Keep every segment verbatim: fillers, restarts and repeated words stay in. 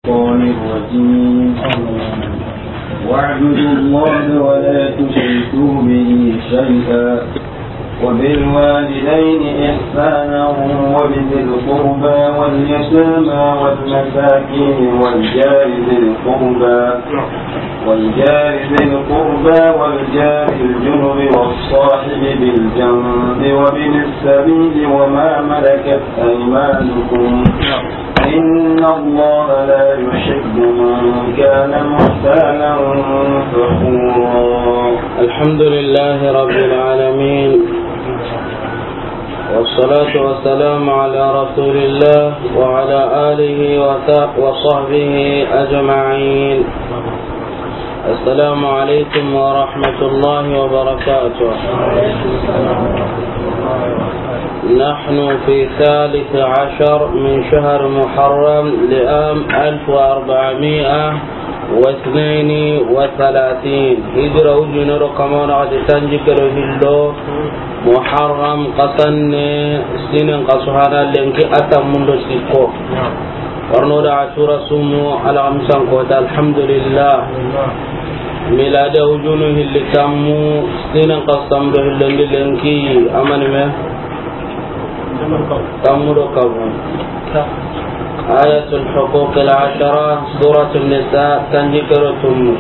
الشيطان الرجيم. واعبدوا الله ولا تشركوا به شيئا، وبالوالدين إحسانا، وبذي القربى واليتامى والمساكين والجار ذي القربى، والجار ذي القربى والجار الجنب والصاحب بالجنب وابن السبيل وما ملكت أيمانكم، إن الله لا يحب من كان مختالا فخورا. الحمد لله رب العالمين، والصلاة والسلام على رسول الله وعلى آله وص-، وصحبه أجمعين. السلام عليكم ورحمة الله وبركاته. نحن في ثالث عشر من شهر محرم لعام ألف وأربعمائة واثنين وثلاثين. Hijira ujunero kamana ati tanji kero hillo Muharram kasanne sinen kasuhana lenki atamundo sikko. Warno da Ashura sumu alhamsan kota, alhamdulillah. Miladi ujunu hilli tammu, sinen kasamdo hillondi lenki amani me. Tammu do kabu. آية الحقوق العشرة، سورة النساء، tanji kero tumu.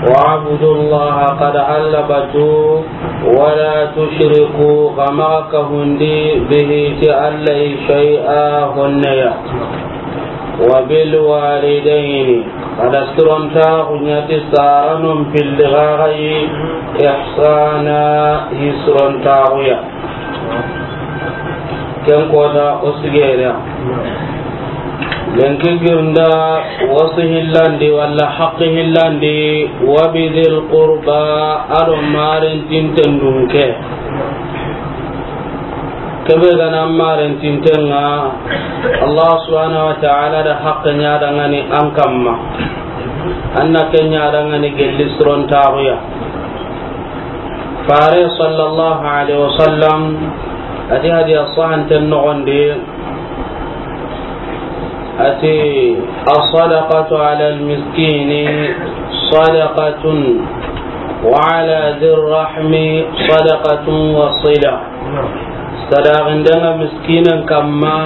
واعبدوا الله قد علبتوا ولا تشركوا، xa maxa kahundi به ti Alla yi شيئا honne ya. وبالوالدين، xa da sirontaxu ɲa ti saranon pilli xaxayi, إحسانا، hi sirontaxu ya. Ken kota o sigere ya. Lenki girnda wasu hillandi walla haqqi hillandi, وبذي القربى، ado maren tinten dunke. Kebe gana maren tinten ŋa, Allah subhanahu wa ta'ala da haqqe ɲa dangani an kamma. Anna ke ɲa dangani gelli sirontaxu ya. Fare sallallahu alaihi wasallam ati hadiya sahanten noxondi, ati, الصدقة على المسكين صدقة وعلى ذي الرحم صدقة وصلة. Sadaxindenga miskinen kamma,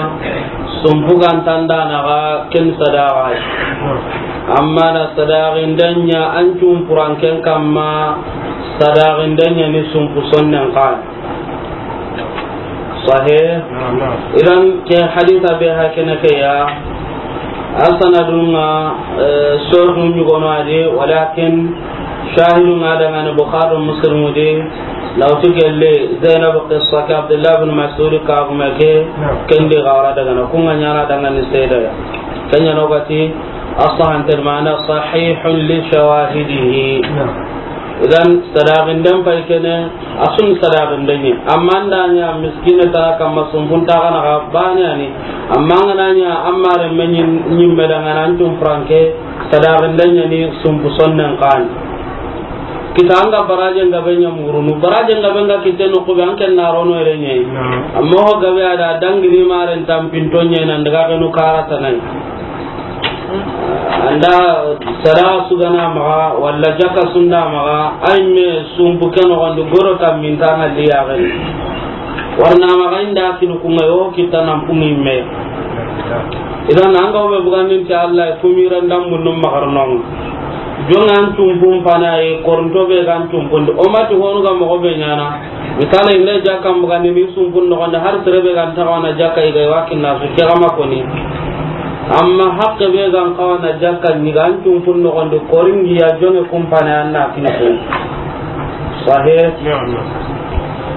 sumpu gantandanaxa ken sadaxa. Amma na sadaxindenya an cumpuranken kamma, sadaxindenya ni sumpu sonnen kan. Sahih. Naam, naam. Idan ke hadisa be hakene ke ya. Asanadunga, eh, sordu ɲugono adi, walakin shahidunga dangani Bukhari Muslimu di, lawti gelle Zainab qissa ke Abdullah bin Mas'ud ka kuma ke, naam, kendi gara dangana, kunga ɲana dangani seda ya. Kenya no gati, asahan termana sahihun li shawahidihi. Naam. Idan sadaxinden pay kene, a sun sadaxinden ɲi. Amma an da ɲa miskine ta kamma sumpuntaxana xa bane ani. Amma an ga na ɲa an mare me ɲin-, ɲimme dangana an cumpuranke, sadaxinden ɲa ni sumpu sonnen kan. Kita an ga barajen gabe ɲa murunu. Barajen gabe nga kite no kube an ken na rono ere ɲe. Naam. Amma ho gabe ada dangini maren tampinto ɲe nan daga kenu kara tanai. Anda sadaxa sugana maxa, walla jakka sunda maxa, ay me sumpu ke noxondi goro tamminta ŋa liyaxeni. Warna maxa inda kinu kunga yo kitta nan pungi me. Idan an ga wo be bugandin ti Allah, kumiran dambun num maxarnonga. Jonga an cumpun fanaye, koronto be gan cumpundi. O mati honu ga moxo be ɲana. Misala, inda jakka mbugandi ni sumpun noxondi, har sere be gan taxawana jakka i ga wa kinna su, ke ga ma koni. Amma haqqe be gan xawana jakka ni gan cumpun noxondi, koringi ya jonge kumpane an na kini kun. Sahih? Naam, naam.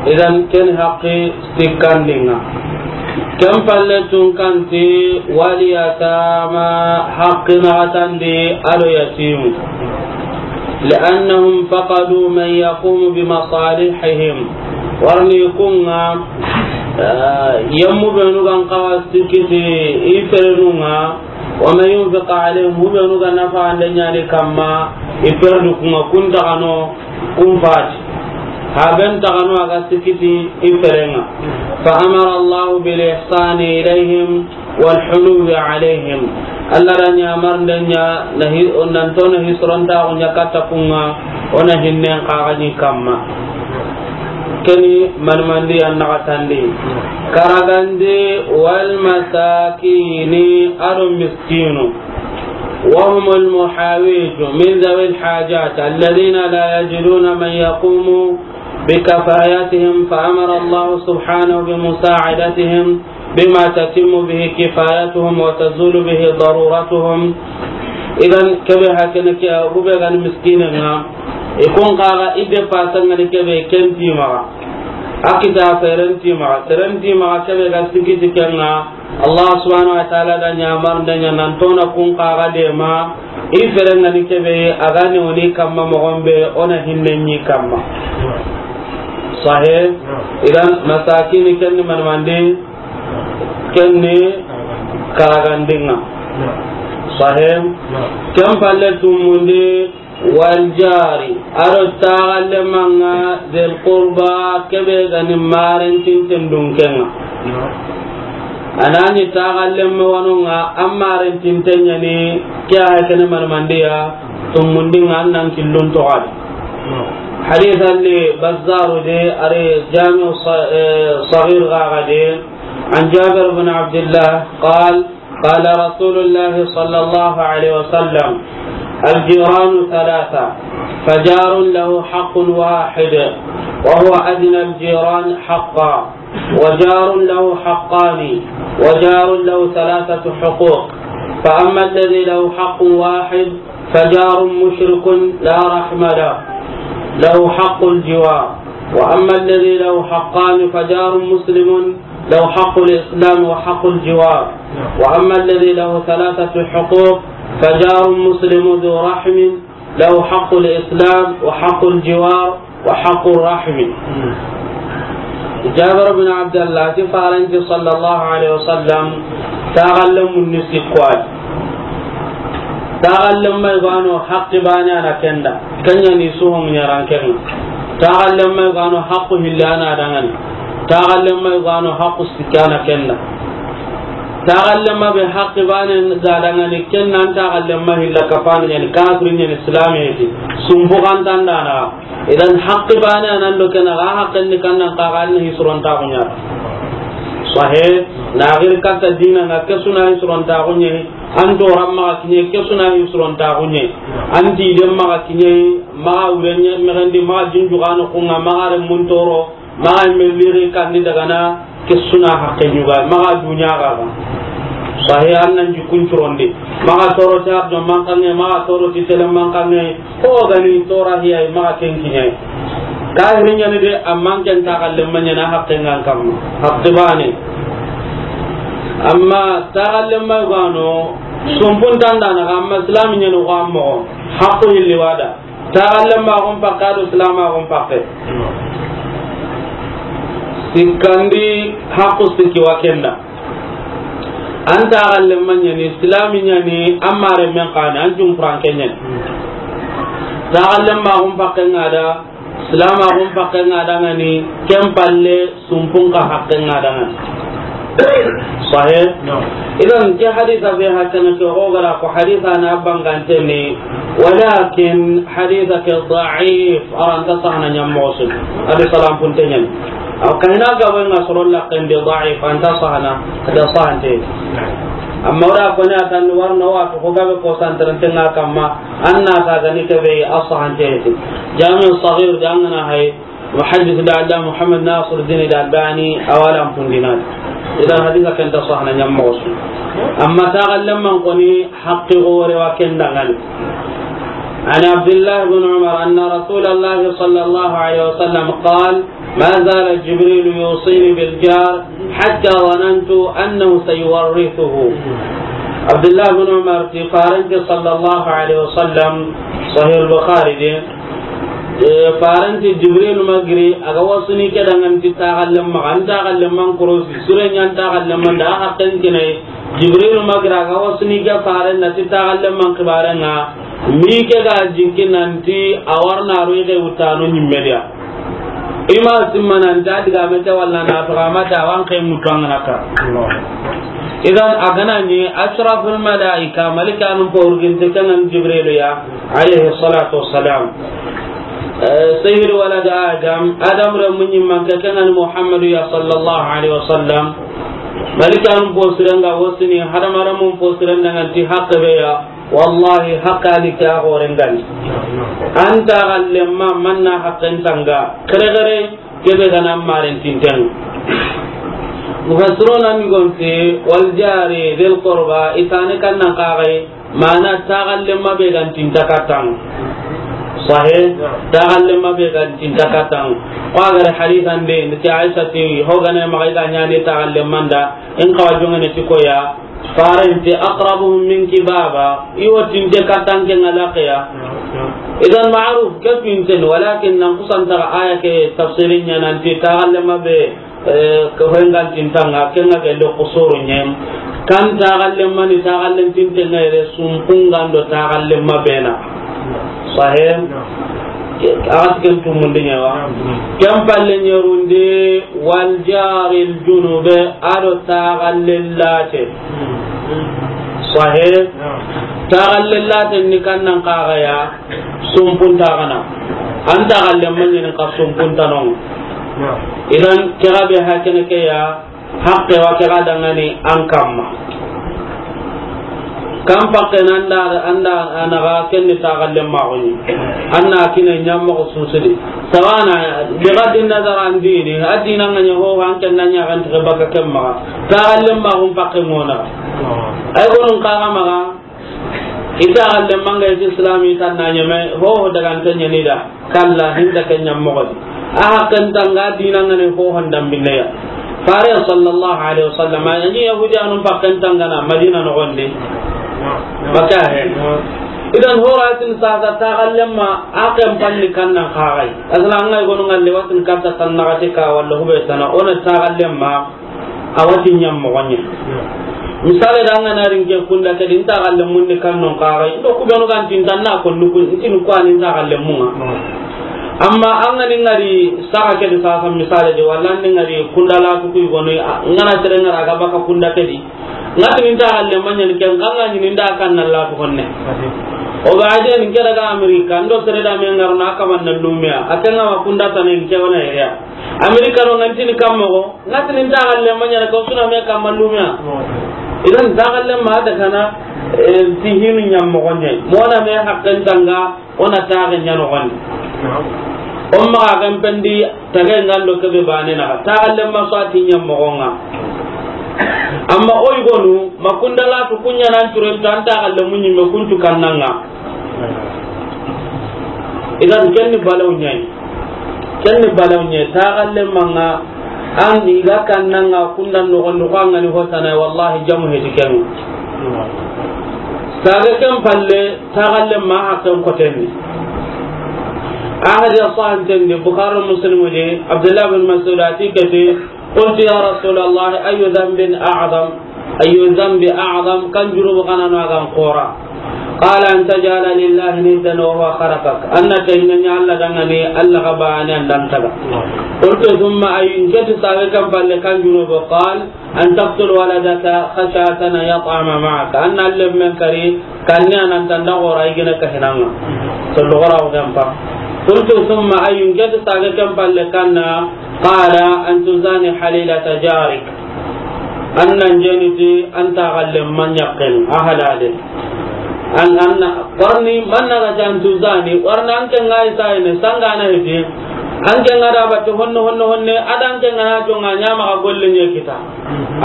Idan ken haqqi sikkandinga. Ken palle tun kanti, wal yatama, haqqi naxatandi ado yatimu. Li'annahum faqadu man yaqumu bi masalihihim. Warni kunga, eh, yemmu benu gan xawa sikiti i ferenunga, wa man yunfiq alayhim, mu benu gan nafa ande ɲani kamma, i perdu kunga kunta kano, kun fati. Haben tagano aga sikiti i ferenga. Fa amara Allahu bil ihsani ilayhim wal huluwi alayhim. Alla da ɲamarinde ɲa, na hi-, o nan to na hisirontaxu ɲa katta kun ŋa, o na hinnen xaxaɲi kamma. Keni manmandi an naxatandi. Karagandi, wal masakini, a do miskinu. وهم المحاويج من ذوي الحاجات الذين لا يجدون من يقوم بكفايتهم، فأمر الله سبحانه بمساعدتهم بما تتم به كفايتهم وتزول به ضرورتهم. Idan, kebe hakene ke, a gube gani miskine ŋa, i kun xaxa i de pasangani kebe ken ti maxa. A kita seren ti maxa, seren ti maxa kebe ga sikiti ken ŋa, Allah subhanahu wa ta'ala da ɲamarinde ɲa nan to na kun xaxa de ma, i feren ŋa ni kebe, a ga ni woni kamma moxon be, o na hinne ɲi kamma. Sahe, idan masakini ken ni manmandi, ken ni karagandinga. Sahe, ken palle tumundi, Wal jari, a do taxallemanga, del qurba, kebe gani marentinten dunkenga. Anani taxallemme wanonga, an marentinten ɲani, ke a kene manmandiya, tumundinga an nan killun toxadi. Hadith alli Bazzaru de, ari Jami'u sa-, eh, Saghir gaga de, an Jabir bin Abdillah, qal, قال رسول الله صلى الله عليه وسلم: الجيران ثلاثة، فجار له حق واحد، وهو أدنى الجيران حقا، وجار له حقان، وجار له ثلاثة حقوق، فأما الذي له حق واحد فجار مشرك لا رحم له، له حق الجوار، وأما الذي له حقان فجار مسلم له حق الإسلام وحق الجوار، وأما الذي له ثلاثة حقوق فجار مسلم ذو رحم له حق الإسلام وحق الجوار وحق الرحم. Jabir bin Abdallah ti faranti sallallahu alaihi wasallam, taxallemun ni sikko ay. Taxallemma i gano haqqi bane ana kenda. Kenya ni suhun ɲaran kenga. Taxallemma i gano haqqu hillana dangani. Taxallemma i gano haqqu sikkana kenda. Taxallemma be haqqi bane ga dangani, ken nan taxallemma hilla kapani ɲani, kafiri ɲani, islami ti. Sumbu kan tandana. Idan haqqi bane anan do kena ga haqqen ni kannan kaga ni hisuron taxunya. Sahe, na gir katta dina nga kesuna hisuron taxunye. An do ramma kinye kesuna hisuron taxunye. An ti dem ma kinye, ma urenye megandi, ma jinju gano kunga, ma gare muntoro. Maxa me liri kandi dagana, ke suna haqqe ɲuga, maxa dunya ga ba. Sahi an nan jikun curondi. Maxa toro ti ardo mankange, maxa toro ti tele mankange, ko gani tora hiya, maxa ken kiɲai. Kahiri ɲani de, amman ken taxallemma ɲana haqqe ngan kamma. Haqqe bane. Amma taxallemma gano, sumpun tandana, amma islami ɲani ko ammo. Haqqu hilli wada. Taxallemmaxun pakke, a do silamaxun pakke. Sikkandi, haqqu sikki wa kenda. An taxallemma ɲani, silami ɲani, an mare men xani, an cunfuranke ɲani. Taxallemmaxun pakke nga da, silamaxun pakke nga da ngani, ken palle, sumpun ka haqqe nga dangani. Sahih? Naam. Idan ke hadisa be hakana ke o gara ko hadisa na bangante ni, walakin hadisa ke da'if, aranta sahana ɲammoxo su. Adi salam punte ɲani. Aw kayna ga wenga soro laqqen de da'if, anta sahana, ada sahante. Amma wala ko ni atan warno wa ko gabe ko santarante nga kamma, anna ta gani ke be a sahante. Jami' Saghir jangana hay, Muhaddis da Alla Muhammad Nasiruddin Al-Albani a wa lan pundinadi. Idan hadisa ken ta sahana ɲammoxo su. Amma taxallemman koni haqqi gore wa ken dangani. عن عبد الله بن عمر أن رسول الله صلى الله عليه وسلم قال: ما زال جبريل يوصيني بالجار حتى ظننت أنه سيورثه. Abdullah bin Umar ti faranti sallallahu alaihi wasallam, Sahih Bukhari de, Eh, faranti Jibril magiri, a ga wasuni ke dangan ti taxallen maxa, an taxallen man korosi, sure ɲan taxallen man da, a haqqen kinai. Jibril magiri, a ga wasuni ke faren na ti taxallen man xibaren ŋa, mi ke ga jinki nanti, a warna ro i xe wutano ɲimmediya. I ma simma nanti, a diga me ke walla na to, a ma ta wan xe mutu an ŋa na ka. Idan, a ga na ni ashraful malaika, malikanu fo wurginte, ken ŋa ni Jibrilu ya, alayhi salatu wassalam. Eh, sayyid walad Adam, Adam renmu ɲimmanke, ken ŋa ni Muhammadu ya, sallallahu alayhi wasallam. Malikanu fo siren ga wo sini, hadamarenmun fo siren da ŋa nti haqqe be ya, wallahi, haqqe ni ke a xoren ga ni. An taaxallenma, manna haqqen tanga, kere kere, kebe ga na maren tinten. Mufassiruna ni gonte, wal jari dhil qurba, i tane kannan xaxay, mana taaxallenma be ga nti nta kattan. Sahe, taaxallenma be ga nti nta kattan. Ko a ga ri hadisan de, nti Aisha ti, ho ga na maxa i ga ɲaana taaxallenman da, in xawa jongene ti ko ya, Farente, aqrabuhum minki baba, i wo tinte kattan ke ŋa laqiya. Idan ma'ruf ke pinten, walakin nan kusan ta aya ke tafsirin ɲa nanti taaxallenma be, eh, ke hoyngan tintanga, ke ŋa ke do qusuru ɲem. Kan taaxallenma ni taaxallen tinte ŋa yere sumpungan do taaxallenma be na. Sahe? A ga ti ken tumundi ɲa wa. Ken palle ɲerundi, wal jaril junube, a do taaxallen late. Sahe? Taaxallen late ni kannan xaxaya, sumpun taaxana. An taaxallenma ɲi ni xa sumpun tanon. Idan, ke ga be hakene ke ya, Haqqe wa ke ga dangani an kamma. Kan pakke na an da, an da a na ga ken ni taaxallenmaxu ɲi. An na kine ɲammoxo susudi. Sawana, bi ghaddi nazar an dini, a dinan ŋa ɲa ho, an ken na ɲa ga nti baka ken maxa. Taaxallenmaxun pakke ŋo na. Ay gonun kaga maxa. I taaxallenma ŋa i ti Islam, i tan na ɲeme, ho ho daga nta ɲani da, kalla, hinda ke ɲammoxo di. A haqqen tanga dinan ŋa ni ho ho ndambine ya. Fare sallallahu alaihi wasallam, a ni Yahudiyanun pakken tangana Madina noxon di. Maka he. Idan ho ra tin sasa taaxallenma, a ken panni kannan xaxay. Asla an ŋa i gonu ŋalle watin katta tan naxati ka walla hube tana, o na taaxallenma, a wa ti ɲammoxo ɲa. Misale da an ga na ri n ke kunda ke di, n taaxallenmun ni kannon xaxay. Ndo ku benu ga nti n ta na ko ndu ku, n ti ni ko a ni n taaxallenmun ŋa. Amma an ga ni ŋari saxa ke di sasa misale di, walla an ni ŋari kunda latu ku i gonu, a, n ga na sere ŋara ga baka kunda ke di. N ga ti ni n taaxallenma ɲa ni ken, n ga ɲi ni n da kanna latu honne. O ga a je ni n ke daga Amerika, ndo sere da me ŋarno a kaman na lumiya. A ke ŋa ma kunda tana n ke wa na yere ya. Amerika no ŋa nti ni kammoxo, ŋa ti ni n taaxallenma ɲa na ko suna me kamma lumiya. Idan taaxallenma da kana, eh, ti hinu ɲammoxo ɲa. Mo na me haqqen tanga, o na taaxe ɲa noxon di. O maxa kan pendi, tage ŋa ndo kebe bane na. Taaxallenma so a ti ɲammoxo ŋa. Amma o i gonu, ma kunda latu ku ɲa nan turo tan taaxallenmu ɲi me kuntu kannan ŋa. Idan ken ni balaw ɲa yi. Ken ni balaw ɲa yi, taaxallenma ŋa, an i ga kannan ŋa kundan noxon di ko an ga ni ho tana, wallahi jamu heti ken. Sage ken palle, taaxallenma haqqen koten ni. A hadiya sahanten di, Bukhari Muslim di, Abdullah bin Mas'ud a ti ke ti, قلت يا رسول الله أي ذنب أعظم، أي الذنب أعظم، kan junubu xananu a ga n xoora. قال أن تجعل لله ندا وهو خلقك، an na ken ɲa Alla dangani, Alla ga bane an da n taga. قلت ثم أي، n ke ti sage ken palle kan junubu, قال أن تقتل ولدك خشية أن يطعم معك، an na lemmen kari, kanne a nan tanda xoora i gene ka hinanga. To do xoora o gampa. قلت ثم أي، n ke ti sage ken palle kanna, قال أن تزاني حليلة جارك. An nan jeni ti an taaxallenma ɲaqqen, a halale. An, an na, warni, man na ga ti an tuzani, warna an ke ŋa i sayene, sanga na hiti. An ke ŋa da batte honne, honne, honne, a da an ke ŋa na jonga ɲa maxa golle ɲe kita.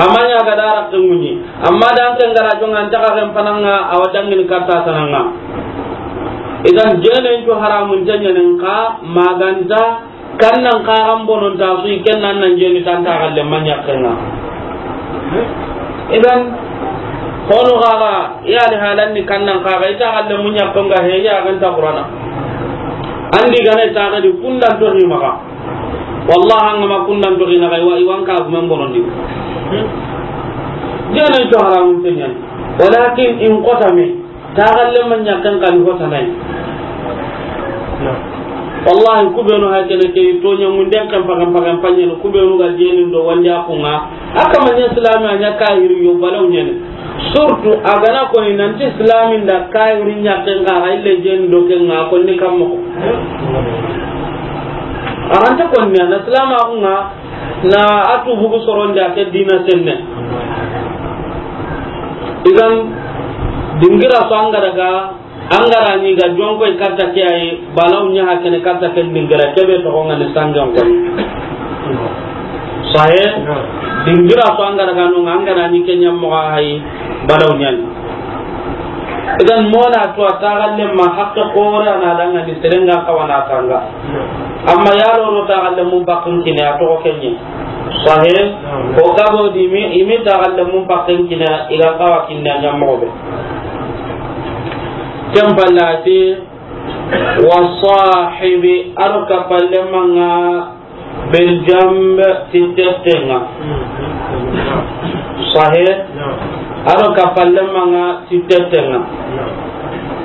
Amma ɲa ga da raqqe ŋuɲi. Amma da an ke ŋa da jonga an taxa ken pananga, a wa dangini katta tananga. Idan jenen cu haramun tanyanen ka maganta. Kannan xaxan bonon ta su i ken nan nan jeni tan taaxallenma ɲaqqen ŋa. Idan, hono xaxa, i ali halan ni kannan xaxa, i taaxallenmu ɲaqqen ŋa he, i ya ga nta Qur'ana. An di gane taaxe di kundan to ni maxa. Wallahi, an ga ma kundan to ni na ga, i wa, i wa n ka gumen bonon di. Jenen to haramun tenyan. Walakin in qotame. Taaxallenma ɲaqqen xa ni ho tana yi. Wallahi, ku benu hay kene ke, toɲa ŋunden kan pagan pagan paɲen, ku benu ga jenin do wandi a kunga. A kama ɲa silami, a ɲa kahiri yo, balaw ɲani. Surtout a gana ko ni nanti silami nda kahiri ɲa ken ga, ga ille jenin do ken ga, ko ni kammo. A ranta ko ni na silama kunga, na a tu bugu soronde a ke dina senne. Idan, dingira so an ga daga, an ga ra ni ga jonko i katta ke ayi, balaw ɲa ha kene katta ken dingira, kebe to ko ngani sangan ko. Sahe, dingira so an ga daga no, an ga ra ni ke ɲa mo ga hayi, balaw ɲani. Idan mona to a taxalle ma haqqe xore a na danga ni serenga kawana tanga. Amma yaro no taxalle mun bakkin kine a to kenye. Sahe, ko gabo di mi, imi taxalle mun bakkin kine i ga kawa kinna ɲammo be. Ken pallati, wa sahibi, a do kapalle manga bil jamb, ti tettenga. Sahe, a do kapalle manga ti tettenga.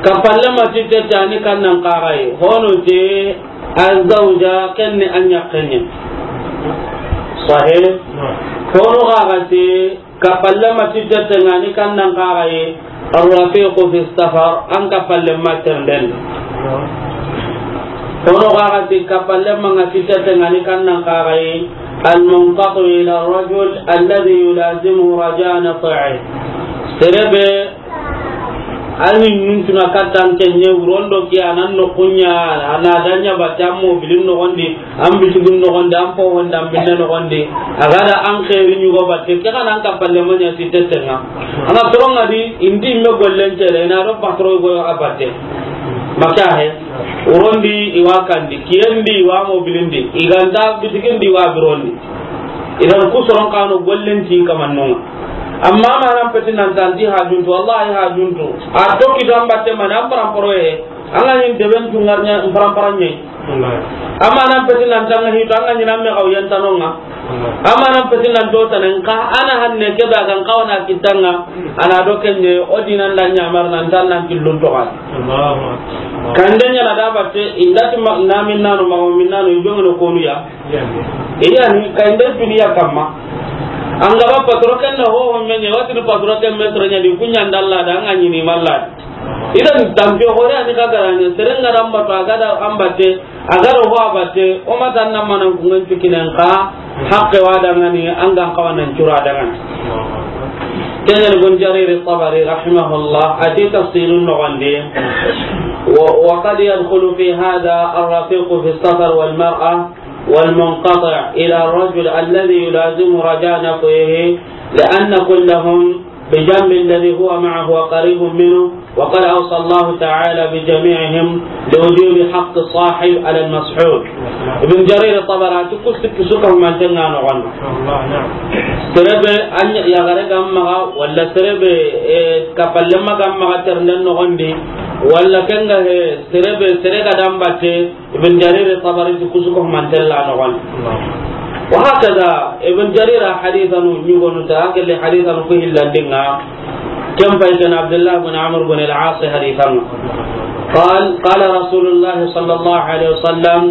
Kapalle ma ti tette a ni kannan kaxayi. Hono te, azawja, ken ni a ɲaxenye. Sahe, hono xaxate, kapalle ma ti tettenga ni kannan kaxayi. Arrafiqu fi safar, an kapalle ma ternden. Hono xaxati kapalle manga ti tettenga ni kannan kaxayi. Almunqatu ila rajul alladhi yulazimu raja naf'i. Serebe, ani nuntuna kattan kenye, wurondo ki anan no kunya, ana danya batammo bilin no gondi. An bitigin noxondi, an fo honda, an binne noxondi, a ga da an xeeri ɲugo batte, ke xana an kapalle ma ɲa ti tettenga. An ga toronga di, inti me gollen cere, ina do patro go a batte. Maka he, wurondi i wa kandi, kiyendi i wa mobilindi, i ganta bitigindi i wa birondi. Idan ku soron kano gollen ti kamannonga. Amma ma nan peti nan tanti hajuntu, wallahi hajuntu. A tokki tan batte ma nan paramporo he. An ga ɲi deben tungarnya paramparan ɲi. Wallahi. Amma nan peti nan tanga hito, an ga ɲi nan me xaw yan tanonga. Wallahi. Amma nan peti nan to tanen ka, ana hanne ke ba gan kawana kitanga, ana do kenye, o dinan da ɲamar nan tan nan killun to kan. Allahu akbar. Kande ɲa na da batte, indati ma, na minnano, ma minnano, i jongno konu ya. Iya. Iya ni, kande duniya kamma. An ga ba patro ken na ho, ho menye, wati patro ken me soro ɲa di, kunya ndalla da, an ga ɲi ni malla. Idan tampiye xore a ni xa garani, seren ga ra an batu, a ga da an batte, a ga ro ho a batte, o ma tan na manan kungan cikkinen xa, haqqe wa dangani, an gan kawanan cura dangani. Ken ni Ibn Jarir Tabari rahimahullah, a ti tafsirun noxondi, wa, wa qad yadkhulu fi hadha ar-rafiqu fi as-safar wal mar'a wal munqati' ila ar-rajul alladhi yulazimu raja naf'ihi, li anna kullahum بجنب الذي هو معه وقريب منه، وقد أوصى الله تعالى بجميعهم لوجوب حق الصاحب على المصحوب. Ibn Jarir Tabari ti ku sikki su ka humanten ŋa noxon. Sere be a ɲa yaxare ga maxa, walla sere be, eh, kapallenma ga maxa ternden noxon di, walla ken ga he, sere be, sere ga da an batte, Ibn Jarir Tabari ti ku su ko mantella noxon. Wa hakaza, Ibn Jarir hadithanu ɲugonu ta, kelle hadithanu ko hillandinga. Ken payten Abdullah bin Amr bin al-As hadithanu. قال، قال رسول الله صلى الله عليه وسلم: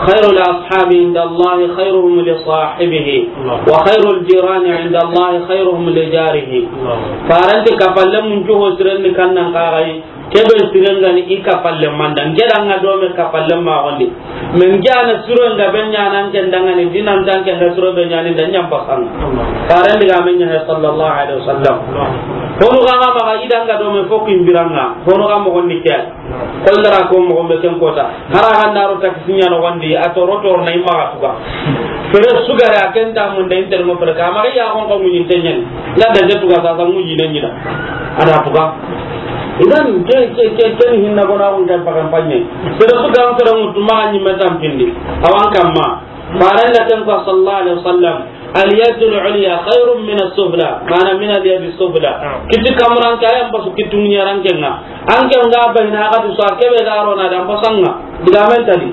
خير الأصحاب عند الله خيرهم لصاحبه، وخير الجيران عند الله خيرهم لجاره. Faranti kapalle mun juho sirenni kannan kaxay, Kebe siren ga ni i kapallenma nda, n ke da ŋa do me kapallenma gondi. Men ke a na siro nga be ɲaana n ke da ŋa ni, dinan ta n ke da siro be ɲaani nda ɲa n pasanŋa. Faren digaame ɲa he, sallallahu alaihi wasallam. Honu ga ŋa maxa i da ŋa do me fo kin biranŋa. Honu ga moxon ni ke. Koy n da ra ko moxon be ken kota. Hara ga n da ro taxi ɲa noxon di, a toro toro na i maxa tuga. Fere su ga ra ken ta mun da inter mo fere ka ma ya gon ko mun inte ɲani. Nga da je tuga sa sa mun yi ne ɲi da. A da tuga. Idan ke, ke, ke, ke ni hinna gona gon kan pagan panye. Fere su ga fere mutu ma ɲi me tampindi. Awan kamma. Faren da ken ko sallallahu alaihi wasallam. اليد العليا خير من السفلى، معنى من اليد السفلى. Naam. Kiti kamran ka yan basu kitu ɲaran kenŋa. An ke nga ba hina ga tu sa kebe ga ro na da n pasanŋa. Digaamen tadi.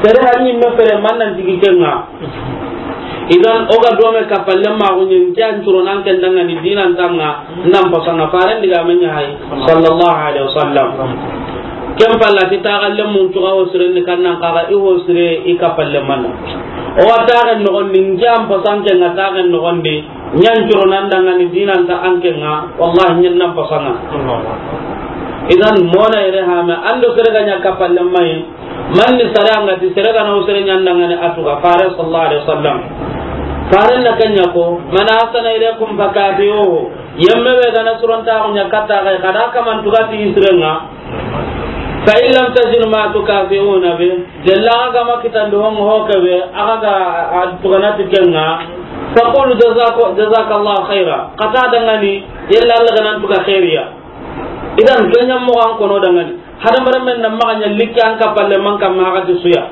Sere hanni me fere man nan tigi kenŋa. Idan o ga do me kapallenma gunyin ke an turo nan ken da ŋa ni dinan ta ŋa nan pasanŋa. Faren digaamen ɲa hay. Sallallahu alaihi wasallam. Ken palla ti taxallen mun cuga ho siren ni kannan kaga i ho sire i kappalle manna. O wa taxen noxon di, n ke an pasan ke nga taxen noxon di, ñan curo nan dangani dinanta an ke nga, wallahi ñen nan pasanga. Idan mona yere hame, ando sere ga ña kappalle mayi, man ni sare anga ti sere ga na o sere ñan dangani atuga, Fare sallallahu alaihi wasallam. Fare na kenya ko, "Man ahsana ilaykum fakafi'uhu." Yemme be ga na suronta ko ña katta ga, kada kaman tuga ti isirenga. "Fa in lam tajidu ma tukafi'una bi." Jella aga ma kitandi hon ho ke be, aga ga a tugana ti kenga. "Faqulu jazaka-, jazakallahu khaira." Kata dangani, yella Allah ga nan tuga khairiya. Idan kenya mo an kono dangani. Hadamaren men na maxa ña likke an kappalle man kam ma haqati suya.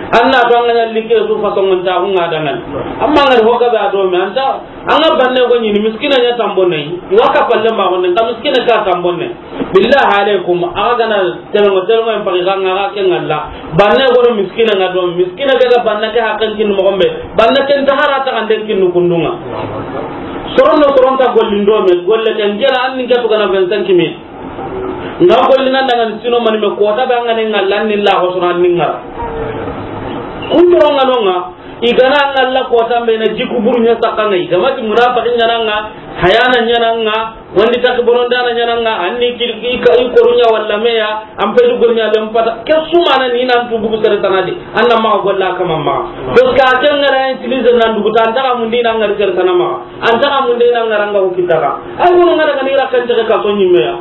An na to an ga ña likke su façon nta ko nga dangan. Amma ngari ho ga be a do me anta, an ga banne go ñini miskina ña tambonne. Wa kappalle ma gonne, ka miskina ka tambonne. Billahi alaikum, aga gana telengo, telengo en pagi ga nga ke ngalla. Banne go miskina nga do, miskina ke ga banne ke haqqen kin mo gombe. Banne ken ta harata kan den kin kundunga. Soronno soronta gollindo me, golle ken jera an ni ke to gana vingt-cinq mille. Nga golli nan daga sino mani me kota be an ga ne ngalla ni la ko sura ni ngara. Kun toro nga no nga, i ga na ngalla kota be na jiku buru nya sakanga, i ga ma ti munafiqin nya nga, hayana nya nga, wandi tak bonon dana nya nga, anni ki, i ka, i korunya walla meya, an pe du gonya lem pata. Ke sumana ni nan tu bugu sere tanadi, anna ma golla kama ma. Parce que a ken ngara utiliser nan dugu tan ta mun di nan ngari sere tanama. An ta ka munde na ngaranga ko kitaka. Ay, ko ngara kan ira kan tege ka so ñimme ya.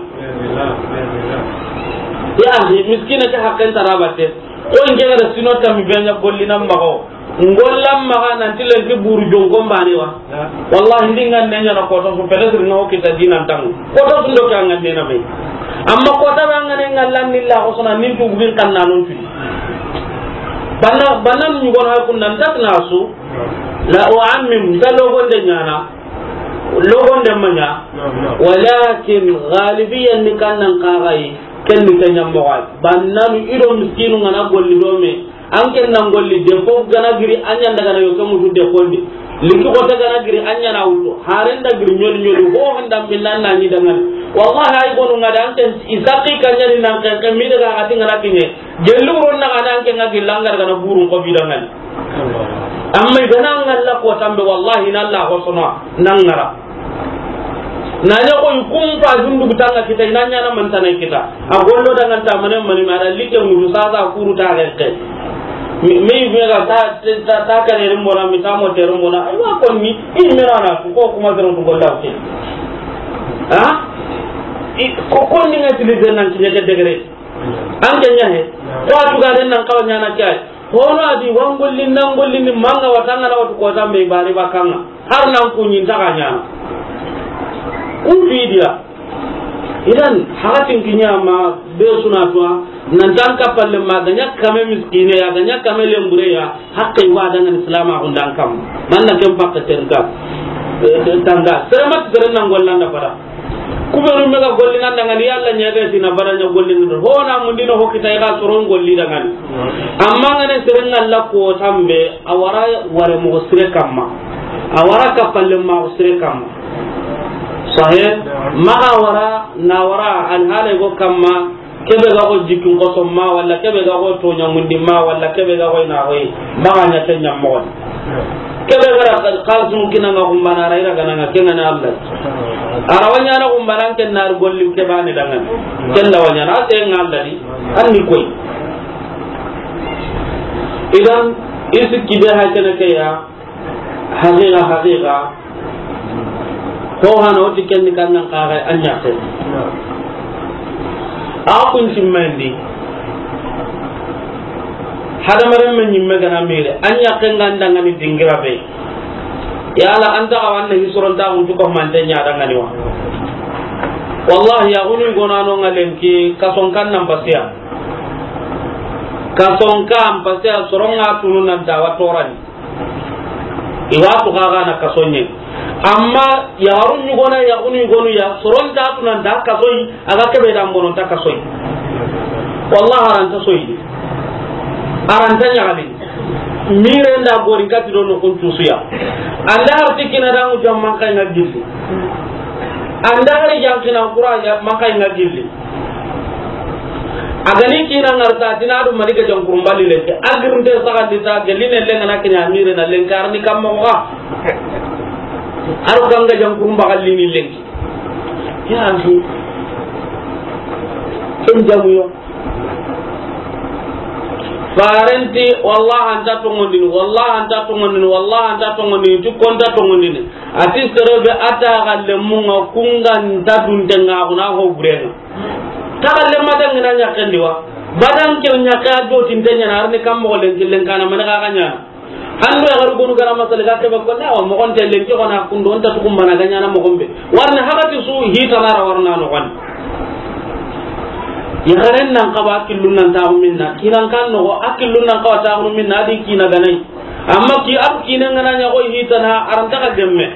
Ya, miskina ke hakken tarabate. Ko nge ngara sino tammi be ña golli nan mago. Ngollam maga nan tilen ki buru jonko mbane wa. Wallahi, ndi ngan ne ñana ko to, so pede sir no kita dinan tang. Ko to sundo ka ngan ne na be. Amma ko ta ba ngan ne ngallan ni la ko sona nin tu bugin kan nanon tu. Banna, banna ñu gon ha kun nan tak nasu. La u'ammim, nta logonde ñana, logonde ma ña, walakin galibiyan ni kannan kaxayi, ken ni ke ñammoxoy. Bannanu i do miskinu ngana golli do me, an ken nan golli de fo gana giri a ñanda gana yo ke mutu de fondi. Liki xote gana giri a ñana wutu, haren da giri ñoli ñoli, ho handa millan na ñi dangani. Wallahi ay gonu ngada an ken isaqi ka ñani nan ken ken mi daga ati ngana kiñe. Gellu ron na gana an ken ga gilla ngar gana burun ko bidangani. Amma i gana ngalla ko tambe, wallahi, na Allah ko sono nan ngara. Na nya ko kum pa dundu tanga kita, ina nya na man tanai kita. A gollo dangan ta mane mani ma da like nguru sa sa kuru ta reke. Mi, mi ga ta, ta, ta kare rimbo na, mi ta mo te rimbo na. Aywa, ko ni, i mera na ko kuma zero to golla ke. Ha? I, ko, ko ni ngati le nan ki ne degre. An ke ña he. Ko a tuga den nan kawa ñana ke ay. Hono a di wa ngolli nan ngolli ni manga watanga na watu ko tambe bari bakanga. Har nan ku ñi nta ga ñana. Ku fidiya. Idan hakatin kiña ma be suna tuwa nan tan kapalle ma ga ña kame miskine ya, ga ña kame lembure ya. Hakke wa dangan Islam a hundan kam. Man na ken pakke terga. Eh, tanga. Sere mat sere nan gollanda fara. Kubenu me ga golli nan dangani, Yalla ña ga tina bara ña golli nan. Ho na mundi no ho kita i ga soron golli dangani. Amma ngane sere ngalla ko tambe, a wara ware mo sire kamma. A wara kapalle ma sire kamma. Sahih? Ma a wara, na wara, an hale go kamma, kebe ga go jikin koso ma, walla kebe ga go to ña mundi ma, walla kebe ga go na go. Ma ga ña ke ñammo. Kebe gara kal-, kalsum kina nga kumbana ra ira gana nga kenga na Allah. Ara wanya na kumbana ken nar golli ke bane dangan. Ken da wanya na te nga Allah di. Anni koy. Idan isi kibe ha kene ke ya. Haqiqa, haqiqa. Ho hana woti ken ni kannan kaga an ñaxe. A kun timmendi. Hadamaren men ñimme gana mire, an ñaxe nga ndangani dingira be. Yala an ta ga wanne hisoron ta guntu ko mante ña dangani wa. Wallahi, ya gunu gonano nga lenki kason kan nan basiya. Kason kan basiya soronga tunu nan ta wa torani. I wa tu kaga na kaso ñe. Amma yaxarun ñugona, yaxunu yugonu ya, soron ta tu nan ta kaso yi, a ga kebe da mbono ta kaso yi. Wallahi, aranta soyi. Aranta ñaxali. Mire nda gori kati do no kun tusuya. Anda har tikina da mu jam man kay nga gilli. Anda har jankina kura ya man kay nga gilli. A ga ni kiina ŋari ta, a ti na du mani ga jankurumba li lenki. A girinte saxandi ta, gelli ne lenga na kiɲa mire na lenki, a ri ni kamma xa. A ro kanga jankurumba xalli ni lenki. Ya axi. Ken jamu yo. Farenti, wallahi an ta tongondini, wallahi an ta tongondini, wallahi an ta tongondini, ti ko nta tongondini. A ti sere be a ta xalle munga kunga nta dunte nga kuna ho burenga. Ta xalle ma dangina ɲaxendi wa. Badan ke ɲaxe a do tinte ɲana, a ri ni kamma xo lenki lenkana mani xa xa ɲana. An do yaxaru gonu gara masala ga kebe ko na wa moxon te lenki xo na kundo, on ta tukum mana ga ɲana moxon be. Warna hagati su hitana ra warna no xon. Yaxaren nan xaba killun nan taxu minna, kinan kan no a killun nan xaba taxu minna, a di kina ganai. Amma ki ab kina ngana ɲa xo hitana, a ra nta xa gemme.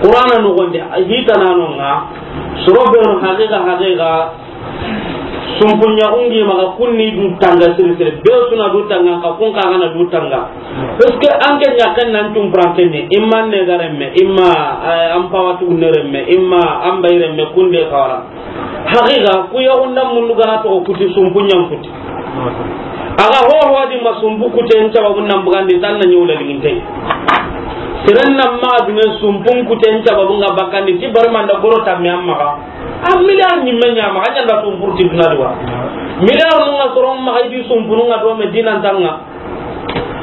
Qur'ana no gonde, hitana no nga, soro be no haqiqa, haqiqa, sumpunya ungi maga kunni du tanga siri siri, be suna du tanga, ka kun ka gana du tanga. Parce que an ke ɲaxen nan tum pranke ne, imma ne garemme, imma, eh, an pawatu ne remme, imma an bayremme kunde kawara. Haqiqa, ku yaxunda mundu gana to kuti sumpunya kuti. A ga ho ho di ma sumpu kuten sababu nan bugandi tan na ɲewla liginte. Siren nan ma dune sumpun kuten sababu nga bakandi ti barmanda goro tamme amma ga. A milliard ni menya ma ga ɲanda sumpur ti duna duwa. Milliard nu nga soron ma ga di sumpunu nga do Medina tanga.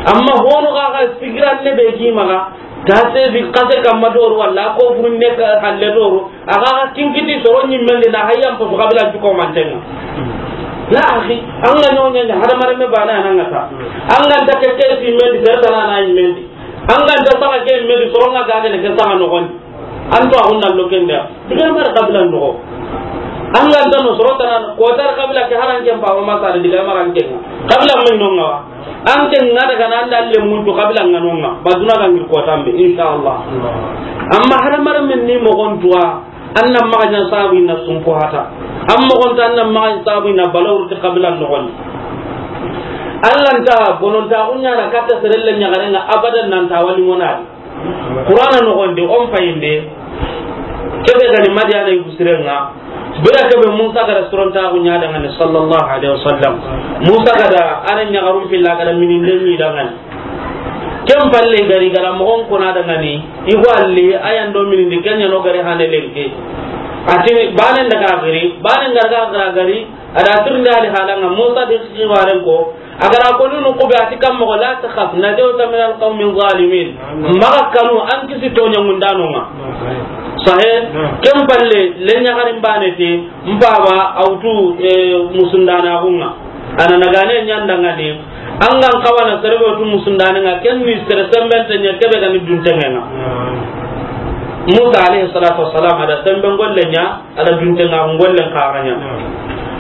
Amma hono ga ga sigiran ne be gi ma ga. Kase di kase kamma doro walla ko furunne ka halle doro. A ga kinkiti soro ɲimmendi na hayyan poso kabila juko mantenga. Ya axi, an ga ɲoɲa ɲa hada marame bana nan ngata. An ga nta ke ke si mendi serta na na ɲimmendi. An ga nta saka ke mendi soro nga ga ne ke saka no gon. An to a hunna lokenda. Diga mara kabila no. An ga nta no soro tana ko tar kabila ke haran ke pa ma sa diga mara ke. Kabila men no nga. An ke nga daga nan dalle muntu kabila nga no nga. Baduna ga ngir ko tambe insha Allah. Amma hada marame ni mo gon tuwa. An na maxa ɲa sabu ina sumpo hata. An moxon ta an na maxa ɲa sabu ina balawru ti kabila noxon. Allah nta bonon ta kunya na katta serelle ɲaxarenga abadan nan ta wali monadi. Qur'ana noxon de on fayinde. Kebe gani Madiyana yugu sirenga. Bira kebe Musa gara soron ta kunya dangane sallallahu alaihi wasallam. Musa gada ana ɲaxarum pilla gada minin de ni dangane. Ken palle gari gara moxon kona dangani, i go alli, a yan do minindi, ken ɲa no gari hane lenki. A ti, banen daga gari, banen garga gara gari, a da tirindi ali halanga, Musa di xibaren ko, a gara ko nunu kube a ti kam moxo, la takhaf, najawta min alqawmi zalimin. Maxa kanu, an kisi toɲa ŋundanonga. Sahe, ken palle, le ɲaxarin bane ti, mpaba, awtu, eh, musundana xunga. Ana nagane ɲandangani, an gan kawana serebe tu musundani nga, ken ni sere sembente ɲa kebe gani duntengenga. Musa alayhi salatu wassalam, ada sembe ngolle ɲa, ada duntenga ngolle kaga ɲa.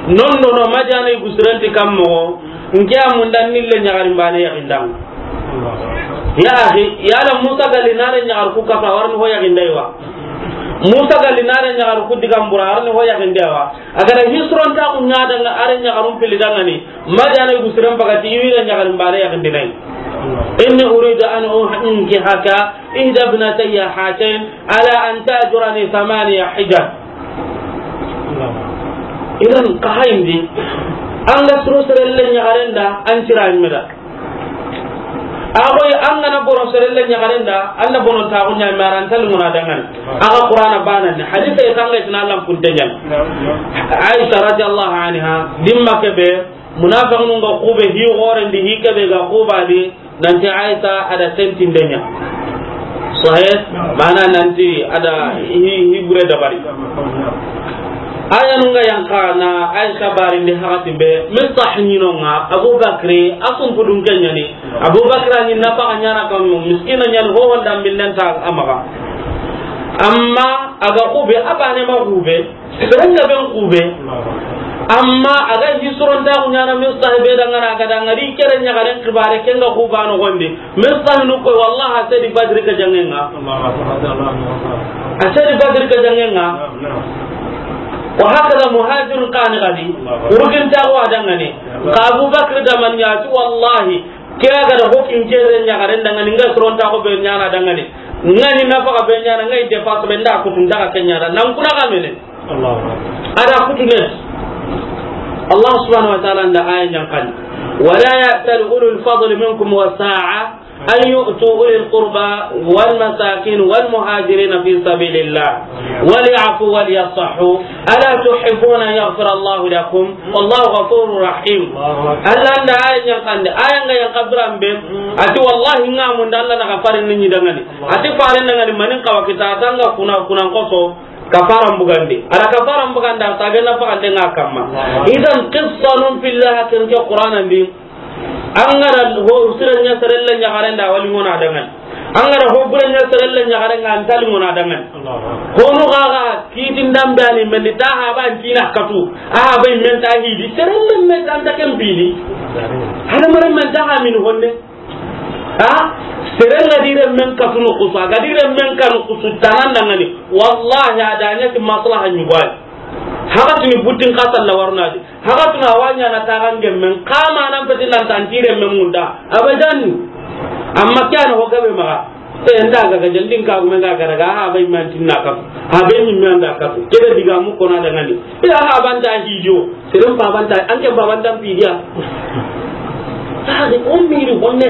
Non do no Madiyana yugu sirenti kam moxo, nke a mundan ni le ɲaxarin bane yaxindanga. Ya axi, yala Musa gali nare ɲaxar ku kafa, warni ho yaxindai wa. Musa gali nare ɲaxar ku digambura, warni ho yaxindai wa. A gada hisron ta ku ɲa danga, are ɲaxarum pili dangani. Madiyana yugu siren bagati, i wira ɲaxarin bane yaxindinai. Inni uridu an unkihaka ihda ibnatayya hatayn ala an ta'jurani thamaniya hijaj. Idan ka hayindi, an ga suro serelle ɲaxaren da, an cira meda. A koy an gana bono serelle ɲaxaren da, an da bonon ta ku ɲa maran tal muna dangan. A ga Qur'ana banan ni hadisa e kanga itina lampunte ɲan. Aisha radiyallahu anha, dimma kebe, munafiqun ga kube hi goren di, hi kebe ga kubadi, nanti Aisha ada tentindenya. Sahih, mana nanti ada hi, hi bure dabari. Aya nunga yanka na Aisha barindi hakatimbe, Mistah ɲinonga, Abu Bakri, asum pudun kenyani, Abu Bakri ni nafa ɲana kan miskina ɲan ho wanda millen ta amaga. Amma aga kube, abane ma kube, Serenga ben kube. Amma aga hi soronta ku ɲana Mistah be dangana, aga dangari kere ɲagaren kibare kenga kubano gondi. Mistah nu ko wallahi a sedi Badri ka jangenga. A sedi Badri ka jangenga. Wa hakada muhajirun kani gadi. Urgin ta wa dangane. Ka Abu Bakr da man ya tu wallahi. Ke a ga da hokin kere ɲagaren dangani, nga soronta ko be ɲana dangani. Nga ni nafaka be ɲana, nga i dépasse be nda kutun daga ke ɲana. Nan kuna ga mene. Allahu Akbar. Ada kutune. Allah subhanahu wa ta'ala nda aya ɲa n kan: ولا يأتل أولو الفضل منكم والسعة أن يؤتوا أولي القربى والمساكين والمهاجرين في سبيل الله وليعفوا وليصفحوا ألا تحبون أن يغفر الله لكم والله غفور رحيم. Allah nda aya ɲa n kan, aya nga ɲa n kan biran be, a ti wallahi nga mun da Allah na gafarin ni dangani. A ti farin dangani manin kawa kita tanga kuna, kuna n koso. Kafaran bugandi. Ada kafaran buganda, tage na fagande nga kamma. Idan, qissa nun fillah ken ke Qur'ana ndi. An ga da ho sire ɲa sere le ɲaxare nda wali ŋona dangan. An ga da ho bure ɲa sere le ɲaxare nga an tali ŋona dangan. Hono gaga kitin dambani men di ta ha ban tina katu. Aha bai men ta hidi sere le men ta ken bini. Hada mare men ta ha min honne. Ha? Sere nga di renmen katu no kusu, a ga di renmen kanu kusu, tanan dangani. Wallahi, a da ɲa ti maslaha ɲugwai. Haga tini butin kasa la warna di. Haga tuna wanya na tagan gemmen, kama nan peti nan tan ti renmen munda. Abadan. Amma kiyana ho gabe maga. E, nda ga ga jandin ka gume ga ga daga, ha bai man tinna katu. Ha bai min man da katu. Kebe diga mu kona dangani. Ila ha banta hijo. Sirin babanta, an ke babanta pidiya. Sadi on miri honne.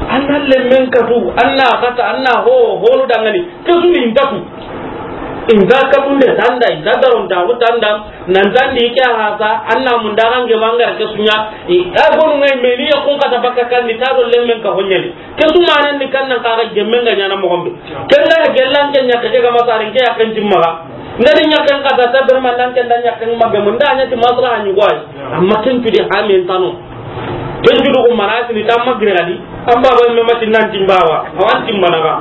Anna lemmen katu, anna kata, anna ho, holu dangani. Kesu ni intatu. Inta katunde tanda, inta daron tabu tanda. Nan tandi ke hasa, anna mundagan ge mangar kesunya. I, a gonu ngai meni ya kun kata baka kan ni tado lemmen ka honyali. Kesu manan ni kannan kaga gemmen ga ɲana mo gombe. Kella gellan ke ɲa ke ga masarin ke ya kan timmaga. Ngadi ɲaken kata ta berma nan ken da ɲaken magemu nda ɲa ti maslaha ɲugwai. Amma ken tudi hamin tano. Ken tudu ko marati ni tamma giradi. Amma ba me mati nan timbawa. Awan timbana ba.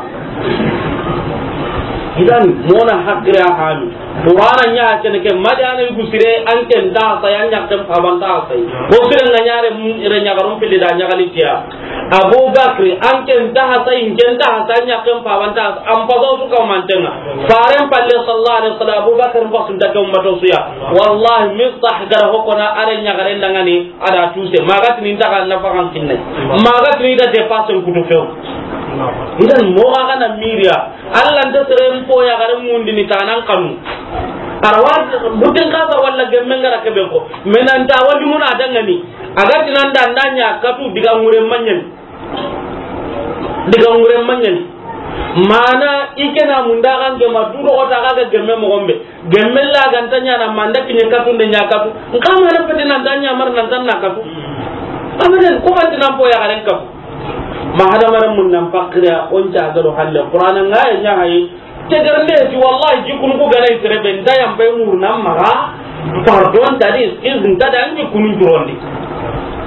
Idan mona hakira halu. Qur'ana ɲa ken ke madana yugu sire an ken da sa ya ɲaken pa ban da sa. Ko sire nga ɲare mu ire ɲagarum pili da ɲagali tiya. Abubakar, an ken ta hasa, in ken ta hasa, ɲaken pa ban ta hasa, an pa su ka mantenga. Faren palle sallallahu alaihi wasallam, Abubakar ba sun ta ke ummato suya. Wallahi, Mistah gara hokona are ɲagaren dangani, ada tuse. Magatini ta kan nafakan kinne. Magatini da dépasse kutu few. Idan mo ga na miriya, Allah nda sere mpo ya gare mundini tanan kanu. Arawa butin kasa walla gemmen gara kebe ko. Menanta wadi muna dangani. Aga tinanda ndanya katu diga ngure manyen. Diga ngure manyen. Mana ikena mundagan gema dudo kota ga gemme mo gombe. Gemme la ganta ɲana manda kinye katunde ɲa katu. Nka mana pete nan tanya mar nan tan na katu. Amaden ko kan tinan po ya garen katu. Ma hada maran mun nan pakira on ta gado halle. Qur'ana ngaya ɲa hayi. Tegarnde ti wallahi jikunu ku gana isere be nda yam bay murna maga. Pardon tadi is nta da an jikunu jurondi.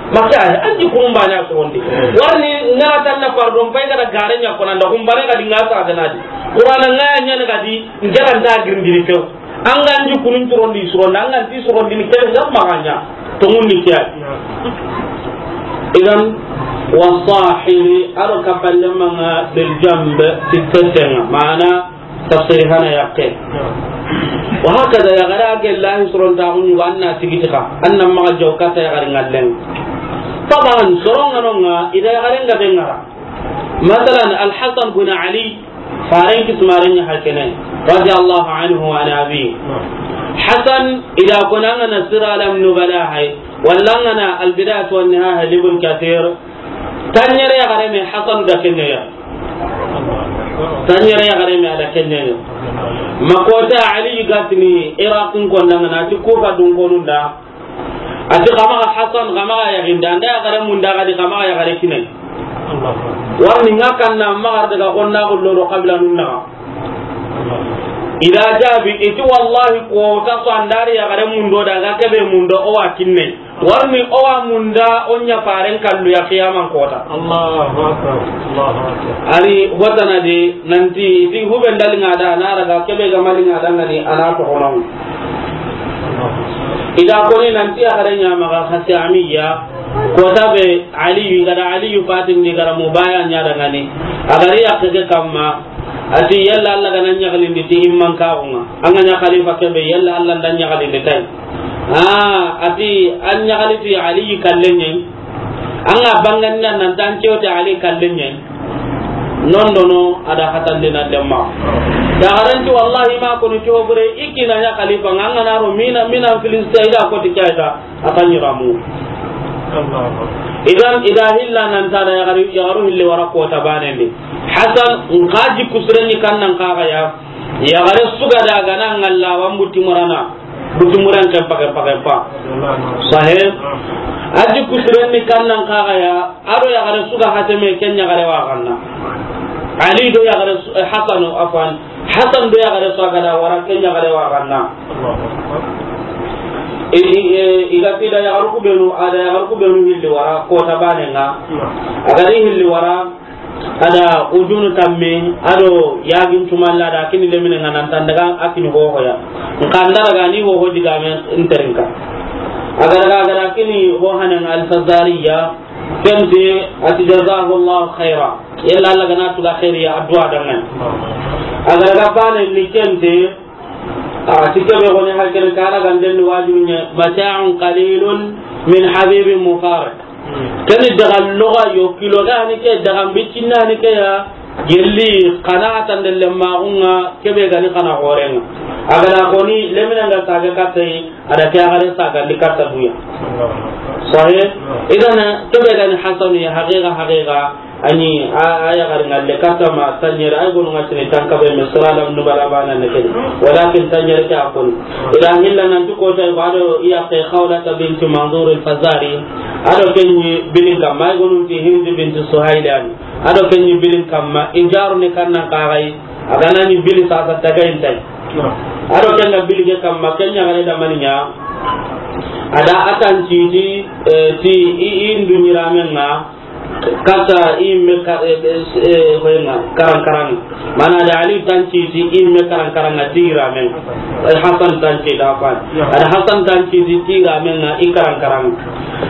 Maka an jikunu bana surondi. Warni ngara tan na pardon pay kada gare ɲa kona nda kumbane kadi ngasa gana di. Qur'ana ngaya ɲa ne kadi ngara nda girndiri few. An ga an jikunu jurondi surondi, an ga an ti surondi ni kere ngam maganya. Tongundi kiya. Idan, wasahibi, aro kapalle manga bil jambe, ti tetenga. Mana, tafsiri hana yakke. Wa hakada ya gara ge lahi suron ta hunu wa anna tigiti ka. Anna maga jawkata ya gara ngallen. Taban, soron nganonga, ida ya gara nga bengara. Masalan, Al-Hasan bin Ali, Faren kismaren ya hakene, radiyallahu anhu wa an abi. Hasan, ida kona ngana Sira Alam Nubala hay, walla ngana Al Bidayatu wan Nihaya Ibn Kathir, tanyere ya gare me Hasan da kenya ya. Tanyere ya gare me ada kenya ya. Makota Ali gatini Iraqin kondangana ti Kufa dun konunda. Ati kamaga Hasan, kamaga yaginde, anda yagare munda gadi kamaga yagare kinai. Warni nga kanna magar daga konna gollo do kabila nunna. Ida jabi, iti wallahi ko ta so andari yagare mundo daga kebe mundo o wa kinne. Warni o wa munda onya paren kallu ya kiyaman kota. Allahu akbar. Allahu akbar. Ari watana de nanti iti huben dalinga da na raga kebe ga malinga da ngani ana to hono. Ida koni nanti a gare ɲa maga Hasamiya, kota be Aliyu, i gada Aliyu fatin di gara mubaya ɲa dangani. A gari yakke ke kamma, ati yalla Allah gana ɲagalindi ti imman kaxunga. An ga ɲa khalifa kebe, yalla Allah nda ɲagalindi tay. Ah, ati an ɲagali ti Aliyu kallenyen. An ga banganda nan tan kewte Ali kallenyen. Non dono a da hatandi na lemma. Yaxaren ti wallahi ma koni ti ho bure, i kina ɲa xalifa ŋa, an ga na ro mina, mina Filistin, i da ko ti ke ya ta, a ta ɲiramu. Idan, i da hilla nan ta da yaxaru, yaxaru hilli wara kota banen di. Hasan, n xa jikku siren ni kan nan xa ga ya. Yaxare su ga da ga na ŋalla wa n buti murana. Buti muran kempa, kempa, kempa. Sahe. A jikku siren ni kan nan xa ga ya, a do yaxare su ga hateme ken yaxare wa xanna. Ali do yaxare su, eh, Hasanu, afwan. Hasan do yaxare su ga da wara ken yaxare wa xanna. I, i, eh, i ga ti da yaxaru ku benu, a da yaxaru ku benu hilli wara, kota banen ŋa. A ga ri hilli wara, a da ujunu tamme, a do yagin tumalla da kini lemine ŋa nan tan daga a kini hoho ya. N xa nda daga ni hoho digamen n terinka. A ga daga, a ga da kini ho hanan Al-Fazariya, ken ti a ti jazahu Allahu khaira. Yalla Allah ga na tuga khairiya addu'a dangan. A ga daga bane ni ken ti A ti kebe goni hakkene kana ganden ni wajibi ɲa, mata'un qalilun min habibin mufariq. Keni daga loga yo kilo ga ni ke, daga bicinna ni ke ya, gelli kana tande lemma gunga kebe gani kana horenga. A ga da koni lemina nga saga katai, a da ke a gare saga ndi kata duya. Sahih? Idan kebe gani Hasanu ya haqiqa, haqiqa. Ani a, a yaxari ŋalle katta ma tanɲere, ay gonu ŋa tini tankabe me sura lam nubala bana ne kedi. Walakin tanɲere ke a koni. Ila hilla nan tu kota i bado iya ke Khawlata binti Manzur al-Fazari. A do ken ɲi bilin kamma, ay gonu ti Hind binti Suhayl yani. A do ken ɲi bilin kamma, i jaru ne kan nan kagai, a ga na ɲi bili sasa tagay ntai. A do ken ga bili ke kamma, ken ɲa gare da maniya. A da a tan ti, ti, eh, ti i, i ndu ɲiramen ŋa, Kata i me ka, eh, eh, eh, hoyenga, karan karan. Mana da Ali tanci ti i me karan karan na ti ramen. Eh, Hasan tanci da fan. Ya. Ada Hasan tanci ti ti ramen na i karan karan.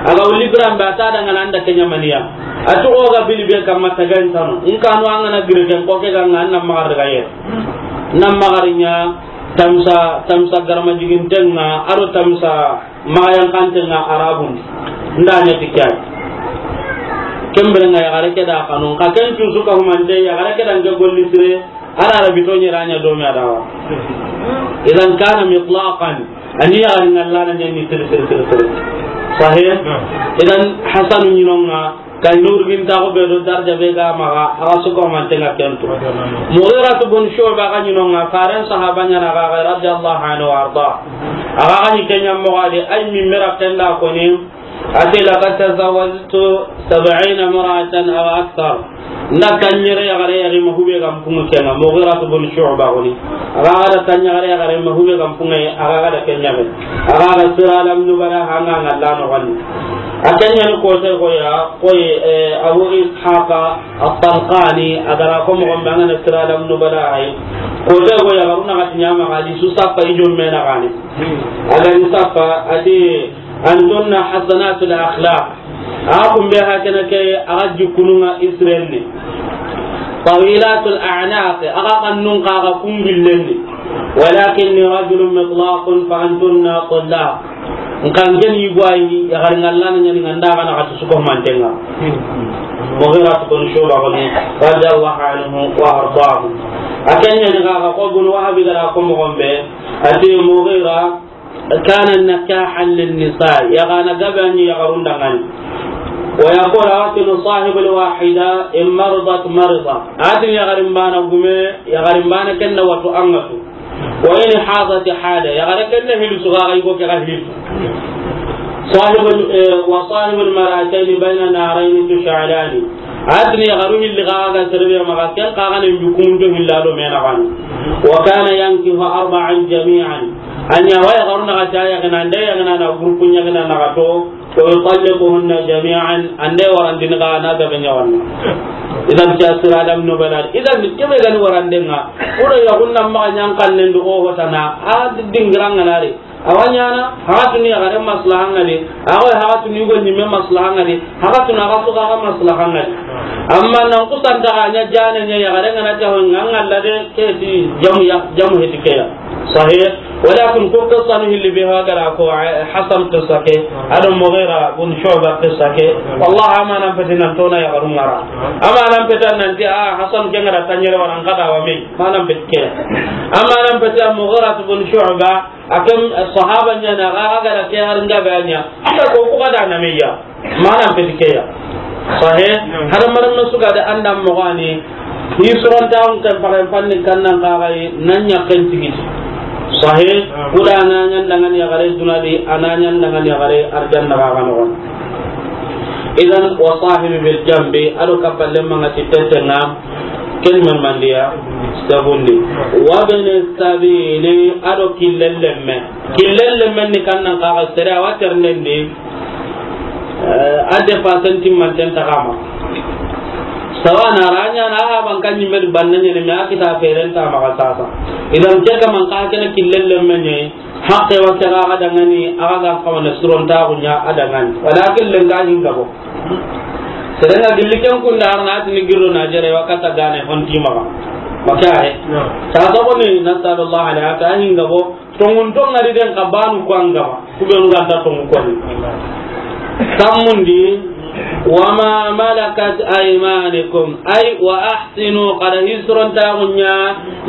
Aga uli biran ba ta da ngana anda kenya maniya. Atu o ga bili be kamma tagan tano. In kanu angana gire den ko ke ga ngana magar ga ye. Na magarinya tamsa, tamsa garma jigin tenga, aro tamsa Maxa yankanten ŋa Arabun di. Nda ɲa ti ke ya. Ken bire ŋa yaxare ke da xanu. Xa ken cusu ka humante, yaxare ke da nke golli sire, a da Arabi to ɲera ɲa do me a da wa. Idan kana mitlaqan. A ni yaxari ŋalla na ɲa ni sire, sire, sire, sire. Sahih? Idan Hasanu ɲi no ŋa, Kay nurgin taxu be do darja be ga maxa, a ga su ko manten ŋa ken tu. Mughiratu bun Shu'ba ga ɲi no ŋa, faren sahaba ɲa na ga, ga radiyallahu anhu wa arda. A ga ga ɲi ken ɲa mo ga de, ay mi mera ken da ko ni, ati, "Laqad tazawwajtu sab'ina imra'atan aw akthar." Nda tanɲere yaxare yaxi ma hube ga n pungu ken ŋa, Mughiratu bun Shu'ba ko ni. A ga ga da tanɲere yaxare yaxi ma hube ga n pungu, a ga ga da ken ɲa be. A ga ga Sira Alam Nubala hanga ŋalla no ga ni. A ken ɲa ni kote ko ya, koy, eh, Abu Ishaqa At-Talqani, a ga ra ko moxo be a ŋa na Sira Alam Nubala hay. Kote ko ya, ga ru na ga ti ɲa ma ga di su sappa i jomme na ga ni. A ga ni sappa, ati, "Antunna hasanatul akhlaq." A kun be ha kene ke, a ga jikunu ŋa Israel ni. "Tawilatul a'naq", a ga kannun xa ga kungillen ni. "Walakinni rajulun mitlaqun fa antunna tullaq." Nkan ken yi gwayi, yaxari ŋalla na ɲa ni ŋa nda ga na ga ti su ko manten ŋa. Mughira bun Shu'ba ko ni, radiyallahu anhu wa ardahu. A ken ɲa ni ga ga ko bun Wahabi ga ra ko moxo be, ati Mughira, kana nakahan linnisa, yaxana gabe a ɲi yaxarun da ŋa ni. Wa yaqulu, a wa tini, sahibul wahida in maridat marida. A tini yaxarin bana gume, yaxarin bana ken na watu a ŋa tu. Wa in hadat hada, yaxare ken na hilisu ga ga i go ke ga hilisu. Sahibul, eh, wa sahibul mar'atayn bayna narayn tush'alani. A tini yaxaru hilli ga ga serebe maxa, ken xa ga ne njukumun do hilla do me na ga ni. Wa kana yankihu arba'an jami'an. A ɲa wa yaxaru na ga ta yaxina, nda yaxina na groupe ɲaxina na ga to, wa yutalliquhunna jami'an, ande warandini ga na gabe ɲa wanna. Idan ke Sira Alam Nubala. Idan kebe ga ni waranden ŋa. Uro yaxun na maxa ɲa n kannen do o hotana, a dingiran ŋa na ri. A wa ɲaana, haxatunu yaxare maslaha ŋa di, a xoy haxatunu yugo ɲimme maslaha ŋa di, haxatunu a ga su ga maslaha ŋa di. Amma nan kusanta ga ɲa jane ɲa yaxare ŋa na ti a hoy ŋa ŋalla de ke ti jamu ya, jamu heti ke ya. Sahih. Walakin ko qissa nu hilli be ha gara ko, eh, Hasan qissa ke, ado Mughira bun Shu'ba qissa ke. Wallahi, amanan peti nan tona yaxarun ŋa ra. Amanan peti nan ti, ah, Hasan ke ŋa ra tanɲere waran kada wa me. Amanan peti ke. Amanan peti Mughira bun Shu'ba, a ken, eh, sahaba ɲa na, ga, ga da ke har ŋa ba ɲa. Anda ko ku ga da na me ya. Amanan peti ke ya. Sahih. Hadamarenme su ga da an da moxo ni. Hisurontaxun ken paxen fanni kannan kaxayi, nan ɲaxen tigiti. Sahih. Kuda a na ɲan dangan yaxare duna di, a na ɲan dangan yaxare arjanna kaxa noxon. Idan, wa sahibi bil jambi, ado kappalle manga ti tete ŋa, ken men mandiya, sabundi. Wa bene sabili, ado killellemme. Killellemme ni kannan kaxa sere a wa ternendi. Eh, a dépassen timmanten taxama. Sawana ra ɲa na a haban kan ɲimme di banna ɲene, me a kita feren ta maxa sasa. Idan ke kaman ka kene killellemme ɲe, haqqe wa ke ga dangani, a ga xawa na surontaxu ɲa a dangani. Walakin lenga hinga bo. Serenga gilli ken kunda arna atini girro na jere wa kata gane honti maxa. Maka he. Ta so ko ni nasallallahu alaihi wa sallam hinga bo. Tongun tongari den ka banu ko angama. Ku be nu ganta tongu ko ni. Sammundi, wa ma malakat aymanukum, ay wa ahsinu, kada hisurontaxu ɲa,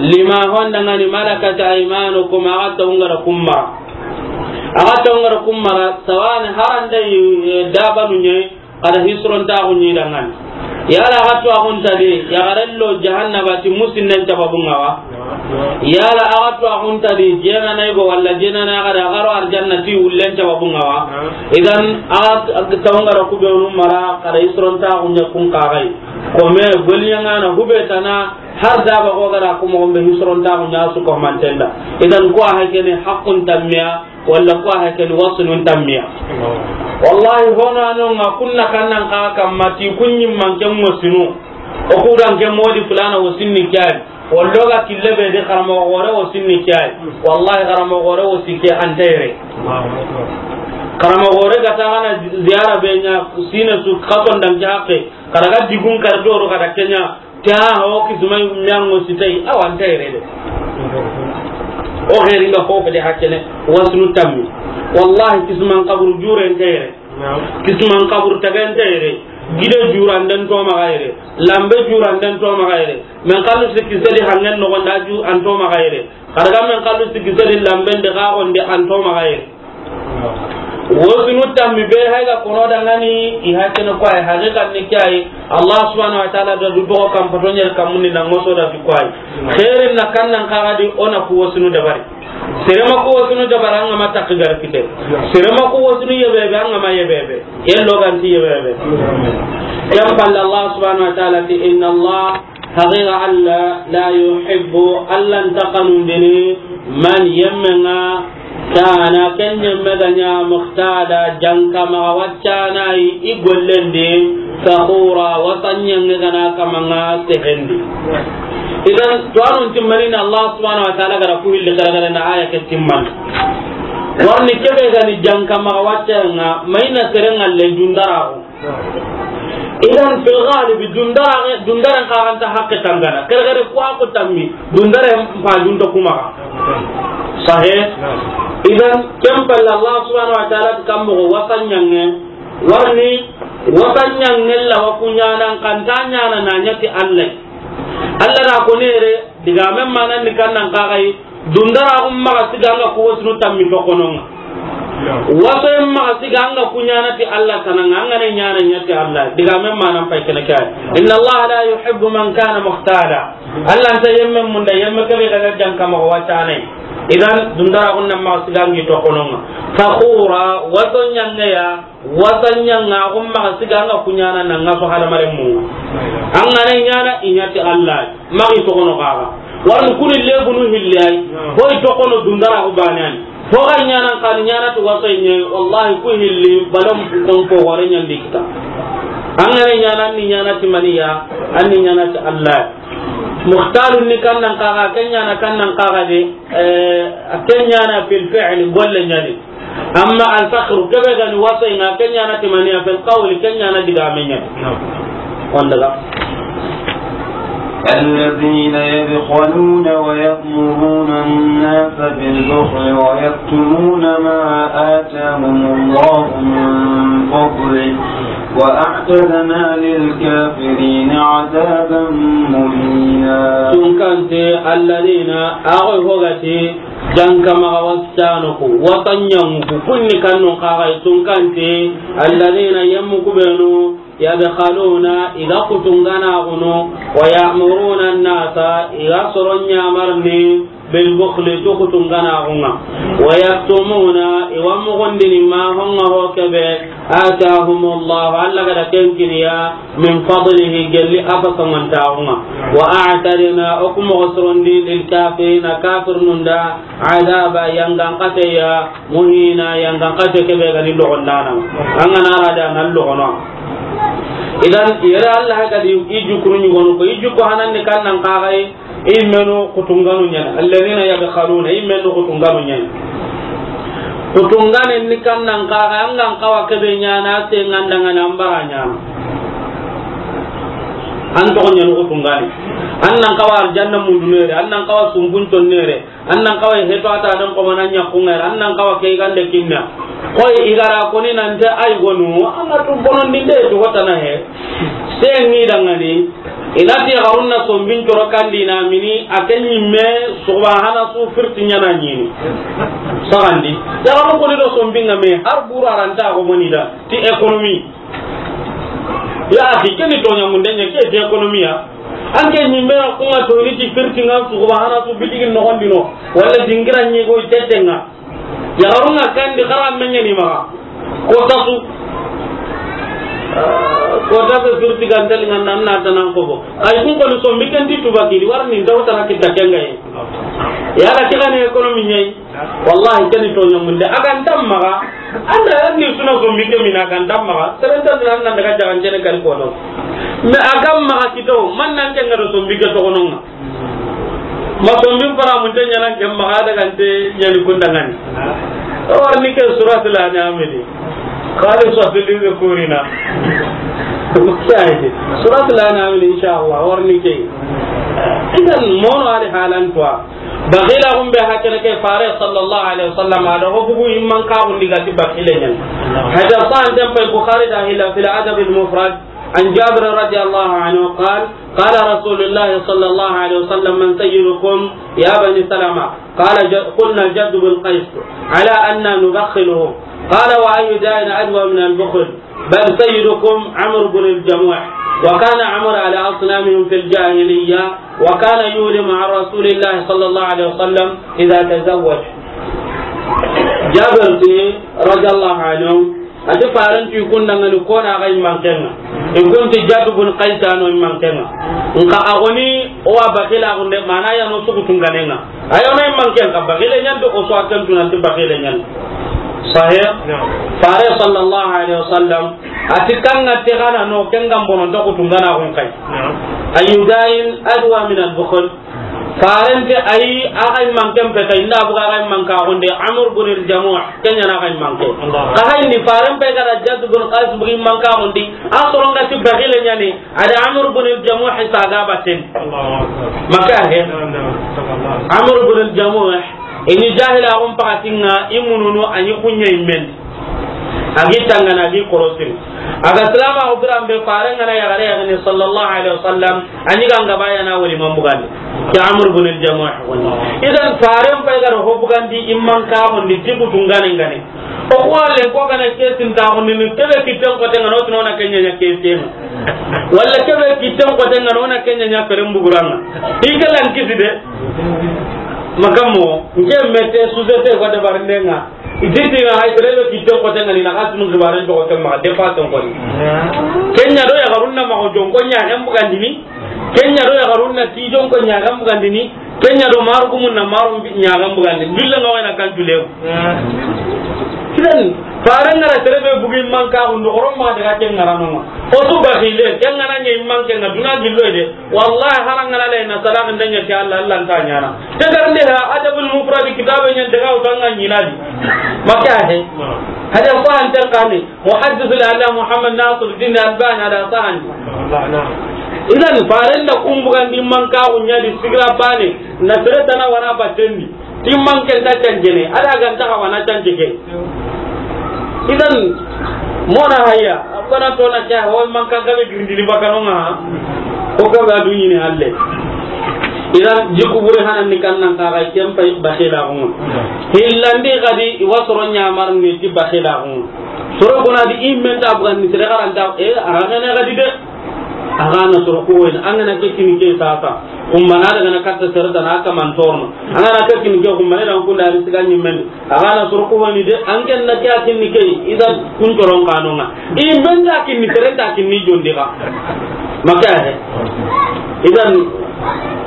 lima honda ngani malakat aymanukum, a ga tongara kummara. A ga tongara kummara, sawani haranda yi, eh, dabanu ɲe, kada hisurontaxu ɲi dangani. Yala a ga to a xunta di, yaxarello jahannaba ti musinnen cababun ŋa wa. Yala a ga to a xunta di, jenana yigo walla jenana yaxare, a ga ro arjanna ti wullen cababun ŋa wa. Idan, a ga tongara ku be nu mara, kada hisurontaxu ɲa kun kaxayi. Ko me, goliɲangana, hube tana, har daba ko gara ku moxon be hisurontaxu ɲa su ko mantenda. Idan, ko a hakene haqqun tammiya, walla ko a hakene wasunun tammiya. Wallahi, hono ano nga kunna kannan ka kamma ti kunyi manke wasunu. O kudan ke modi fulana wasinni kay. Wallo ga kille be de karamo gore wasinni kay. Wallahi, karamo gore wasi ke antere. Karamo gore ga ta gana ziyara be ɲa sine su katon dan jaxe. Karaga digun kar doro kada kenya. Ta ho kismai miyango sitai, awa nta yere de. O xeeri nga fofo de hakene, wasunu tammi. Wallahi, kisman kaburu jure nta yere. Kisman kaburu taga nta yere. Gide jura nden to maxa yere. Lambe jura nden to maxa yere. Men kallu sikki sedi hangen no gonda ju an to maxa yere. Karaga men kallu sikki sedi lamben de ga gonde an to maxa yere. Wasunu tammi be hay ga kono dangani, i hakene ko ay haqiqan ni kay. Allah subhanahu wa ta'ala da du dogo kam pato ɲer kamundi na ngoso da ti ko ay. Xeerin na kannan kaga di ona ku wasunu dabari. Sere ma ku wasunu dabari an ga ma takki gar kite. Sere ma ku wasunu yebebe an ga ma yebebe. Yello ganti yebebe. Yam balla Allah subhanahu wa ta'ala ti inna Allah Haqiqa Alla, la yuhibbu, Alla nta xanundini, man, yemme ŋa, kana, ken yemme ga ɲa, muxtala, janka maxa waccanayi, i gollendi, faxura, wasanɲange ga na kamaŋa sehendi. Idan, to anun timmanina Allah subhanahu wa ta'ala ga ra ku hilli xaragare na aya ke timman. Warni kebe ga ni janka maxa waccaŋa, mayna serenŋa le dundaraxu. Idan fil ghalib dundara, dundaran karanta hakke tangana. Kere kere ko ko tammi dundare mpa dunto kuma. Sahih. Idan ken palle Allah subhanahu wa ta'ala kam mo wasanɲange. Warni wasanɲange la wa kuɲana kanta ɲana na ɲati Allah. Allah da ko nere diga men manan ni kannan kagai. Dundara xum maxa siga anga ku wasunu tammi toxonoŋa. Wasoyen maxa siga anga ku ɲana ti Allah tanaŋa, anga ne ɲana ɲati Allah. Diga men manan pay kene kay. Inna Allah la yuhibbu man kana muxtala. Allah nta yemme munda, yemme kebe ga ga janka maxa watanay. Idan dundara xun nan maxa siga angi toxonoŋa. Faxura, waso ɲangeya. Wasanɲanga xum maxa siga anga ku ɲana na ŋa so hadamaren mu. Anga ne ɲana i ɲati Allah. Maxi toxono xaxa. Warni kuni lebunu hilli ay. Hoy toxono dundara xu banan. Fo ga ɲana kan ɲana to wasoy ɲe, wallahi ku hilli balam ton ko wore ɲandi kita. Anga ne ɲana ni ɲana ti maniya, anni ɲana ti Allah. Muxtalun ni kannan kaga, ken ɲana kannan kaga de, eh, ken ɲana fil fi'l golle ɲani. Amma al-fakhru, kebe gani wasoy ŋa, ken ɲana timaniya fil qawli, ken ɲana diga menya. Naam. Wanda ga. الذين يبخلون ويأمرون الناس بالبخل ويكتمون ما آتاهم الله من فضله وأعتدنا للكافرين عذابا مهينا. Tunkante, الذين, a ga wo i hogati, janka maxa wasitanu ku, wasanyangu ku, kunni kannun kaxay tunkante, الذين, yemmu ku benu, يبخلون, i ga kutunganaxunu, ويأمرون الناس, i ga soron yamarni, بالبخل, ti kutunganaxunga, ويكتمون, i wa muxundini, ما, honga ho kebe, آتاهم الله, Alla ga da ken kiniya, من فضله, gelli a fasangantaxunga, وأعتدنا, o ku moxo sorondi, للكافرين, kafirnun da, عذابا, yangan xateya, مهينا, yangan xate kebe ga ni loxondana. An ga na ra da nan loxono. Idan, yere Alla ga di i jukkunu ɲugonu ko, i jukku hanandi kannan kaxay, i menu kutunganu ɲani. الذين يبخلون, i menu kutunganu ɲani. Kutungane ni kannan kaxay, an gan xawa kebe ɲana, se ngandangana, an bara ɲana. An toxo ɲani kutungane. An nan xawa arjanna mundu nere, an nan xawa sumbun ton nere. An nan xawa heto a ta dan ko mana ɲa kungera, an nan xawa ke gande kinna. Koy i ga ra koni nante ay gonu, an ga tu bonondinde to hotana he. Se ni dangani, i na ti garunna sombin coro kandi na mini, a ken ɲimme, subahana su firti ɲana ɲini. Sagandi. Ya garu koni do sombin ga me, har buru aranta ko moni da, ti économie. Ya axi, ke ni toɲa munde ɲa, ke ti économie ya. An ke ɲimme na kunga to ni ti firti nga su, subahana su bitigin noxondino, wala dingira ɲi go tetenga. Yaxarun ŋa kandi xara meɲe ni maxa. Kota su. Kota be firti gantali nga nan na tanan ko bo. Ay kun ko ni sombi ken ti tuba kidi warni ndaw tana kita kenga yi. Yala ti xani économie ɲi. Wallahi ken ni toɲa munde. A ga nta maxa. Anda ni suna sombi ke mina ga nta maxa. Serenta nan nan daga jagan jene kali ko no. Mais a ga maxa kito man nan kenga do sombi ke to gononga. Ma sombi fara mun te ɲana ke maxa daga nte ɲani kundangani. Warni ke suratul An'am di. Khalisatul lidhukurina. Suratul An'am di, inshallah, warni ke. Idan mono ali halan toi. Baxila gumbe hakene ke fare sallallahu alaihi wasallam a da ho bugu imman ka gundi gati baxile ɲan. Hada san tempe Bukhari da hilla fil Adab al Mufrad. عن جابر رضي الله عنه قال: قال رسول الله صلى الله عليه وسلم: من سيدكم يا بني سلمة؟ قال ج-، قلنا: جد بن قيس، على أنا نبخله. قال: وأي داء أدوى من البخل؟ بل سيدكم عمرو بن الجموح، وكان عمرو على أصنامهم في الجاهلية، وكان يولي مع رسول الله صلى الله عليه وسلم إذا تزوج. Jabir ti, radiyallahu anhu, a ti faren ti kundangani kona ga immankenga. I kun ti Jaddu bun Qays no immankenga. Nka a goni o wa bakila gunde mana ya no sugu tunganenga. Ayo no immanken ka bakile ɲan do o so akan tunan ti bakile ɲan. Sahih? Na'am. Fare sallallahu alaihi wasallam a ti kanga te gana no kenga bono to kutungana gun kai. Na'am. Ayu da'in adwa min al-bukhl. Faren ti ayi, a ga immanken peta, inda buga a ga immanka gonde, Amr bin al-Jamuh, ken ɲa na a ga immanke. Allah. Ka hay ni faren pe ga da Jadd bin Qais bugi immanka gonde, a soronga ti bakile ɲani, a da Amr bin al-Jamuh sa ga baten. Allahu Akbar. Maka he. Na'am, na'am. Amr bin al-Jamuh, ini jahila gum pakatinga, imununu, ani kunya immen. A gi tangana, a gi korosin. A ga salama o biran be faren ga na yagare yagani sallallahu alaihi wasallam, ani ganga baya na wali man bugandi. Ke Amr bin al-Jamuh woni. Idan faren pay ga ho bugandi immanka woni ti kutungane ngane. O ko le ko ga na kesin ta woni ni kebe kitten ko tenga no tino na kenya nya kesin. Walla kebe kitten ko tenga no na kenya nya feren buguranga. Ikalan kisi de. Makamo, nke mete société ko de barndenga. Ititi na hay tere be kitten ko tenga ni na ka tunu gibaren to ko temma de fa ton ko ni. Kenya do ya garunna ma ko jon ko nya hem bugandini. Kenya do ya garunna ti jon ko nya hem bugandini. Kenya do maru gumun na maru nya hem bugandini. Billa nga wena kan tule. Kidan faran ngara tere be bugi manka hundo goron ma daga ken ngara no. O su bakile ken ngana nyi manke nga duna gillo de. Wallahi, harangana le na salak ndenya ke Allah, Allah nta nyana. Te garnde ha Adabul Mufrad kitabe nyen daga utanga nyinadi. Maka he. Hada ko an tan kani. Muhaddis al Allah Muhammad Nasir Din Albani hada sahan. Idan, faren da kun bugandi manka ku ɲa di sigira bane, na sere tana wara batendi. Ti manke nta cancene, a da ga nta xa wana cance ke. Idan, mona haya, a bana to na ke, ho manka gabe girindini bakano ŋa, o gabe a du ɲini halle. Idan, jiku bure hanan ni kan nan ka ga ken pay baxe da ŋo. Hillandi gadi, i wa soro ɲamar ni ti baxe da ŋo. Soro kuna di i men ta bugan ni sere garanta, e, a ga ne gadi de. A ga na soro ko woni, an ga na ke kini ke sasa. Kumbana daga na katta sere tana ka man torno. An ga na ke kini ke kumbana dan kunda ari siga ɲimmen. A ga na soro ko woni de, an ken na ke a kini ke, idan kun coron kanonga. I men ta kini sere ta kini jondi ga. Maka he. Idan,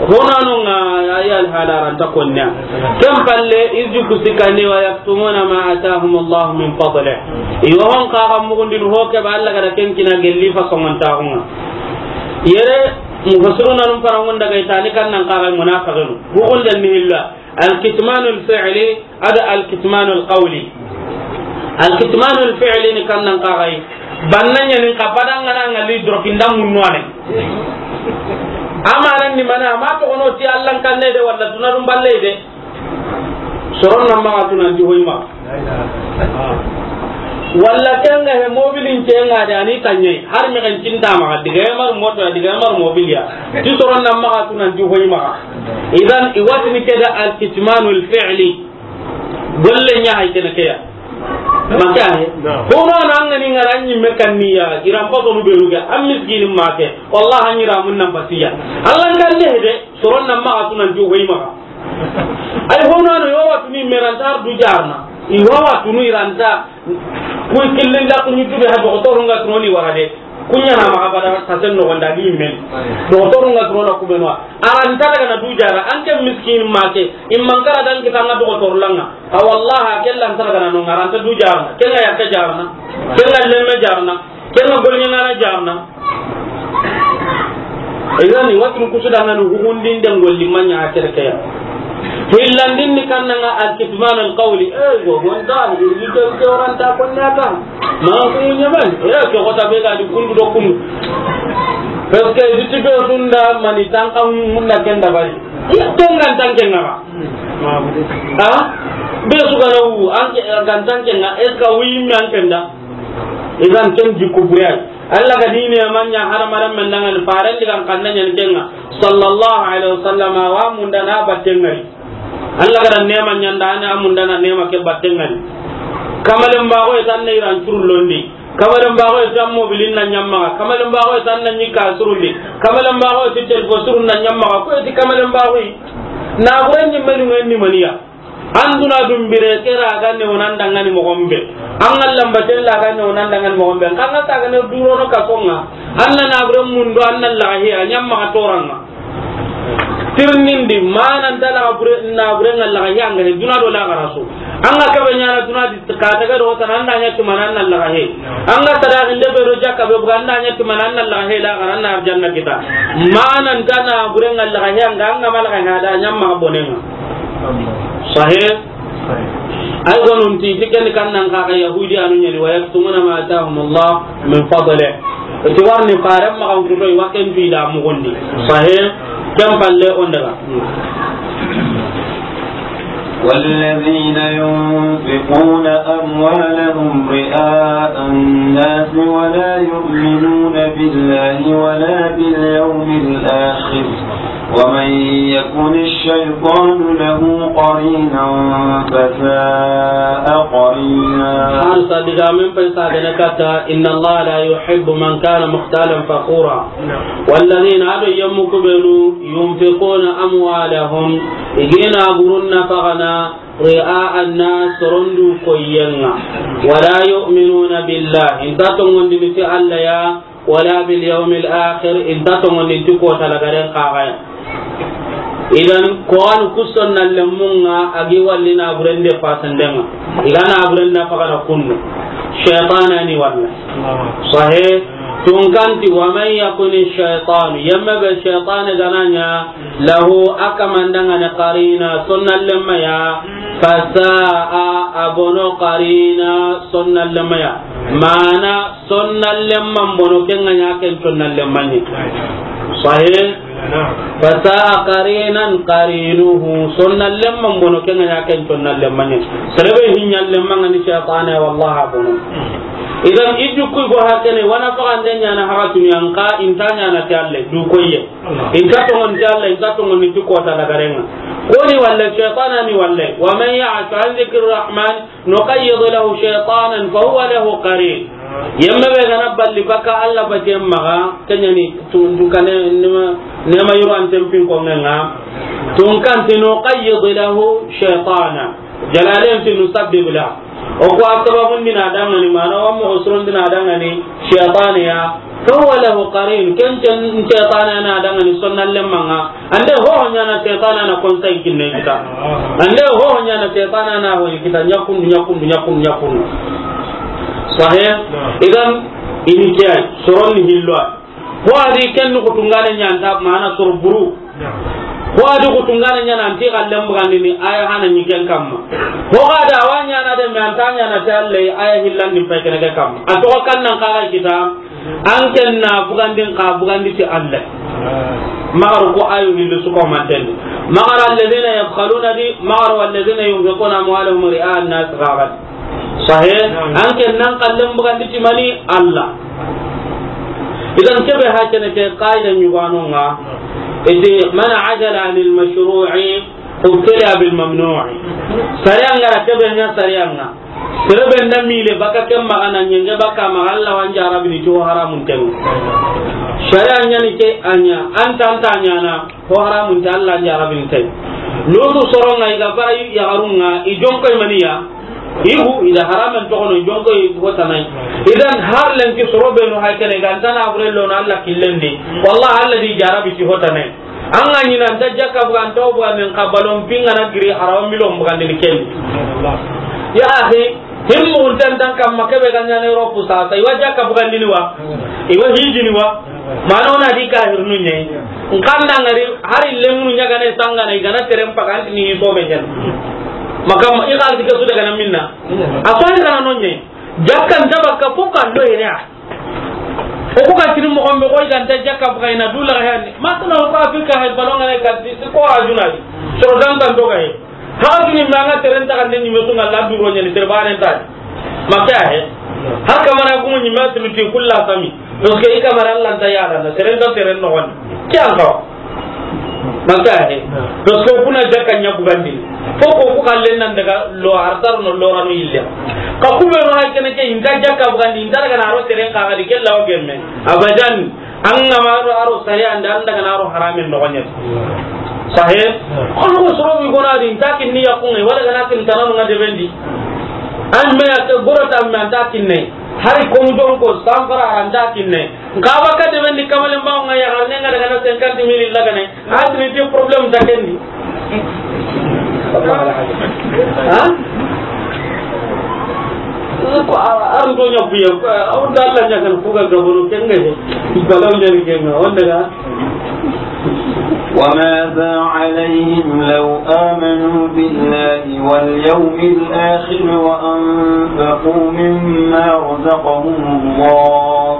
honano ŋa, ya, ya alhala ran ta konnya. Ken palle, irju kusikani wa yaktumuna ma atahum Allah min fadlih. I wa hon ka ga mugundin ho ke ba Allah ga da ken kina gelli fa songon ta hunga. Yere, mufassiruna num parangon daga itani kan nan ka ga munafiqun. Bugun dan ni illa. Al-kitmanul fi'li, ada al-kitmanul qawli. Al-kitmanul fi'li ni kan nan ka ga yi. Banna ɲa ni ka badanga na ngali drokinda munno ane. Amanan ni mana, ma to ono ti Allah kan ne de wala dunadum balle de. Soron nan maxa tu nan ti hoyima. Walla kenga he mobilin kenga de ani tanye. Har me kan cinta maxa diga mar moto diga mar mobiliya. Ti soron nan maxa tu nan ti hoyima. Idan i watini ke da al-kitmanul fi'li. Golle ɲa hay kene ke ya. Maka he. Hono nan ngani ngara ɲimme kanniya. Iran pato nu beluga. Am miskinin make. Wallahi an ira mun nan basiya. Allah kan ne de. Soron nan maxa tu nan ti hoyima. Ay, hono ano, i wa watunu i me ranta ar du jarna. I wa watunu i ranta. Kuy killen da kuɲi tube ha doktoru nga tunoni wara de. Kuɲa na maxa bada sasen no gonda ni men. Doktoru nga tunona kubenwa. Aranta daga na du jara, an ke miskin make. Imman kara dan kita nga doktoru langa. A wallahi, kella anta daga na no ngaranta du jarna. Kenga ya ke jarna. Kenga lemme jarna. Kenga golnya ngana jarna. Idan, i watun kusu dangani hugundin den golli manya a tere ke ya. Hillandin ni kannanga al-kitman al-qawli. Eh, go gonda, ni ke ke oranta konnata. Ma ku nyaman. Eh, ke kota be ga di kundu do kundu. Parce que di tibe sunda mani tanka munda kenda bari. Tengan tanke ngara. Ha? Be su ga na wu, an ke gan tanke nga, est-ce que wi mi an kenda? Idan ken jikku buriyai. Allah ga dine manya haramaren men dangan faren digan kanna nyen kenga. Sallallahu alaihi wasallam wa munda na battengari. Allah ga dan nema nyanda ana munda na nema ke battengari. Kamalen bago tan ne iran turlondi. Kamalen bago tan mobilin na nyamma. Kamalen bago tan na nyika surundi. Kamalen bago ti telfo surun na nyamma. Ko ti kamalen bago. Na buren ni menu ni maniya. An duna dumbire ke ra ga ne wonan dangani mo gombe. An Allah mbaten la ga ne wonan dangani mo gombe. Kan ga ta ga ne duro no ka songa. An na na bure mundo an na la he a nyamma toranga. Tirnindi mana nta la bure na bure nga la he an ga duna do la ga rasu. An ga ka be nyana duna di ka ta ga do tan an da nya tumana an na la he. An ga ta da inde be ro jakka be buga an da nya tumana an na la he la ga ran na arjanna kita. Mana nta na bure nga la he an ga an ga mala ga da nyamma bonenga. Sahih. Ay gonun ti, ti ken kan nan ka ga Yahudi anu nyani, wa yaktumuna ma atahum Allah min fadlih. Ti warni faram ma kan kuto, wa ken bi da mugundi. Sahih. Ken palle on daga. والذين ينفقون أموالهم رئاء الناس ولا يؤمنون بالله ولا باليوم الآخر ومن يكن الشيطان له قرينا فساء قرينا. Har sa diga min pai sa gana kata, إن الله لا يحب من كان مختالا فخورا. والذين, ado yammu kubenu, ينفقون أموالهم, i gina burun nafaqana, رئاء الناس, sorondu koyenga. ولا يؤمنون بالله, inta tongondini ti Allah ya, ولا باليوم الآخر, inta tongondini ti kota lagaren kaga ya. Idan, ko an ku sonna lemmunga, a gi walli na burende pasandenga. I ga na buren nafaqana kundu. Shaytana ni walla. Sahih. Tunkanti, ومن يكن الشيطان, yemme be shaytane gananya, له, a kamandangani, قرينا, sonna lemma ya, فساء, a bono, قرينا, sonna lemma ya. Mana sonna lemman bono, kenga nya ken sonna lemman ni. Sahih. Fasa'a qarinan qarinuhu. Sonna lemman bono, ken ga ɲa ken sonna lemman ɲa. Sere be hi ɲa lemman ga ni shaytane, wallahi a bono. Idan i du ku go hakene, wa na faxande ɲaana haxatunu ya, nxa i nta ɲaana ti Alla du koye. I nta tonŋon ti Alla, i nta tonŋon ni ti kota lagarenŋa. Ko ni walle, shaytana ni walle. Wa man ya'shu an dhikri rahman nuqayyid lahu shaytanan fa huwa lahu qarin. Yemme be ga na balli baka Alla baten maxa, ken ɲa ni tun-, tunkane nema, nema yuro an tempin ko ngenga. Tunkan ti nuqayyid lahu shaytana. Jalalen ti nusabbib la. O ko a sababun di na dangani, mana wa mo osron di na dangani shaytaniya. Fa huwa lahu qarin, ken ken shaytana na dangani sonna lemman ŋa. Ande ho ɲaana shaytana na konsay kinne kita. Ande ho ɲaana shaytana na ho kita, ɲa kundu, ɲa kundu, ɲa kundu, ɲa kundu. Sahih? Idan, ini kiyai, soron ni hillo. Ho a di ken nuxu tungane ɲa nta mana soro buru. Ho a di ku tungane ɲa na nti xallen bugandini aya hana ɲi ken kamma. Ho ga da wa ɲaana de me anta ɲaana ta Alla aya hillan din pay kene ke kamma. A to kan nan xa ga kita, an ken na bugandin xa bugandi ti Alla. Maxa ro ko ayo hillu su ko manten. Maxa ra alladhina yabkhaluna di, maxa ra alladhina yunfiquna amwalahum ri'a an-nas ghabat. Sahih? An ken nan xallen bugandi ti mani? Alla. Idan kebe hakene ke qaida ɲugano ŋa. Iti man ajala anil mashru'i ubtila bil mamnu'i. Sariya ŋa ra kebe ŋa sariya ŋa. Sere be nda mile baka ken maxa na ɲenge baka maxa Alla wa n jarabini ti ho haramun ten. Sariya ɲa ni ke a ɲa, anta anta ɲaana. Ho haramun ta Alla n jarabini tay. Lutu soron ŋa i ga bara yaxarun ŋa, i jonko i maniya. Igu i da haramen toxono, i jonko i ho tanay. Idan har lenki soro be no hay kene ga anta na bure lo na Alla killen di. Wallahi Alla di jarabi ti ho tanay. An ga ɲi na nta jakka buga, nta buga men xa balon pinga na giri arawa milon bugandini ken. Ya akhi, himmu untan tan kamma kebe ga ɲaana Europe sasa, i wa jakka bugandini wa? I wa hijini wa? Mana o na di kahirnu ɲa yi. Nxa nda ŋari hari lemunu ɲagane sangana i ga na teren paga anti ni so be ɲaana. Makam i xalisi ke su daga na minna. A so i ga na no ɲa yi. Jakka nta baka fo ka lo yere a. O ku ga tini moxo be ko i ga nta jakka buga i na du la ga hani. Masala ko Afrika hay balon ŋa ne ga ti ko a juna di. Soro dan dan to ga yi. Haka tuni ma ŋa teren ta kan ni me su ŋa la duro ɲa ni tere banen ta. Ma ke a he. Har kamana gumu ɲi ma tunu ti kulla sami. Parce que i kamana Alla nta yara na teren ta teren no wan. Ke an ka. Ma ke a he. Parce que kuna jakka ɲa bugandi. Fo ko ku kallen nan daga lo artar no lo ranu ille. Ka ku be no hay kene ke inta jakka bugandi, inta daga na ro teren ka ga di kella o gemme. Abadan. An ga ma ro aro sariya nda an daga na ro haramen no ɲa. Sahih? Kono ko soro mi gona di nta kinni ya kunga wala ga na kin tananu ŋa de bendi. An me ya ke goro ta me anta kinne. Hari ko mu don ko sanfara anta kinne. Nka ba ka de bendi kamale ma ŋa ya garne ŋa daga na cinquante mille la ga ne. Adri ti problème ta kendi. Ha? Ko a, a ndo ɲa buye, a wonda Alla ɲa kan ku ga gabono ken ga he. Balaw ɲa ni ken ga, wonda ga. وماذا عليهم لو آمنوا بالله واليوم الآخر وأنفقوا مما رزقهم الله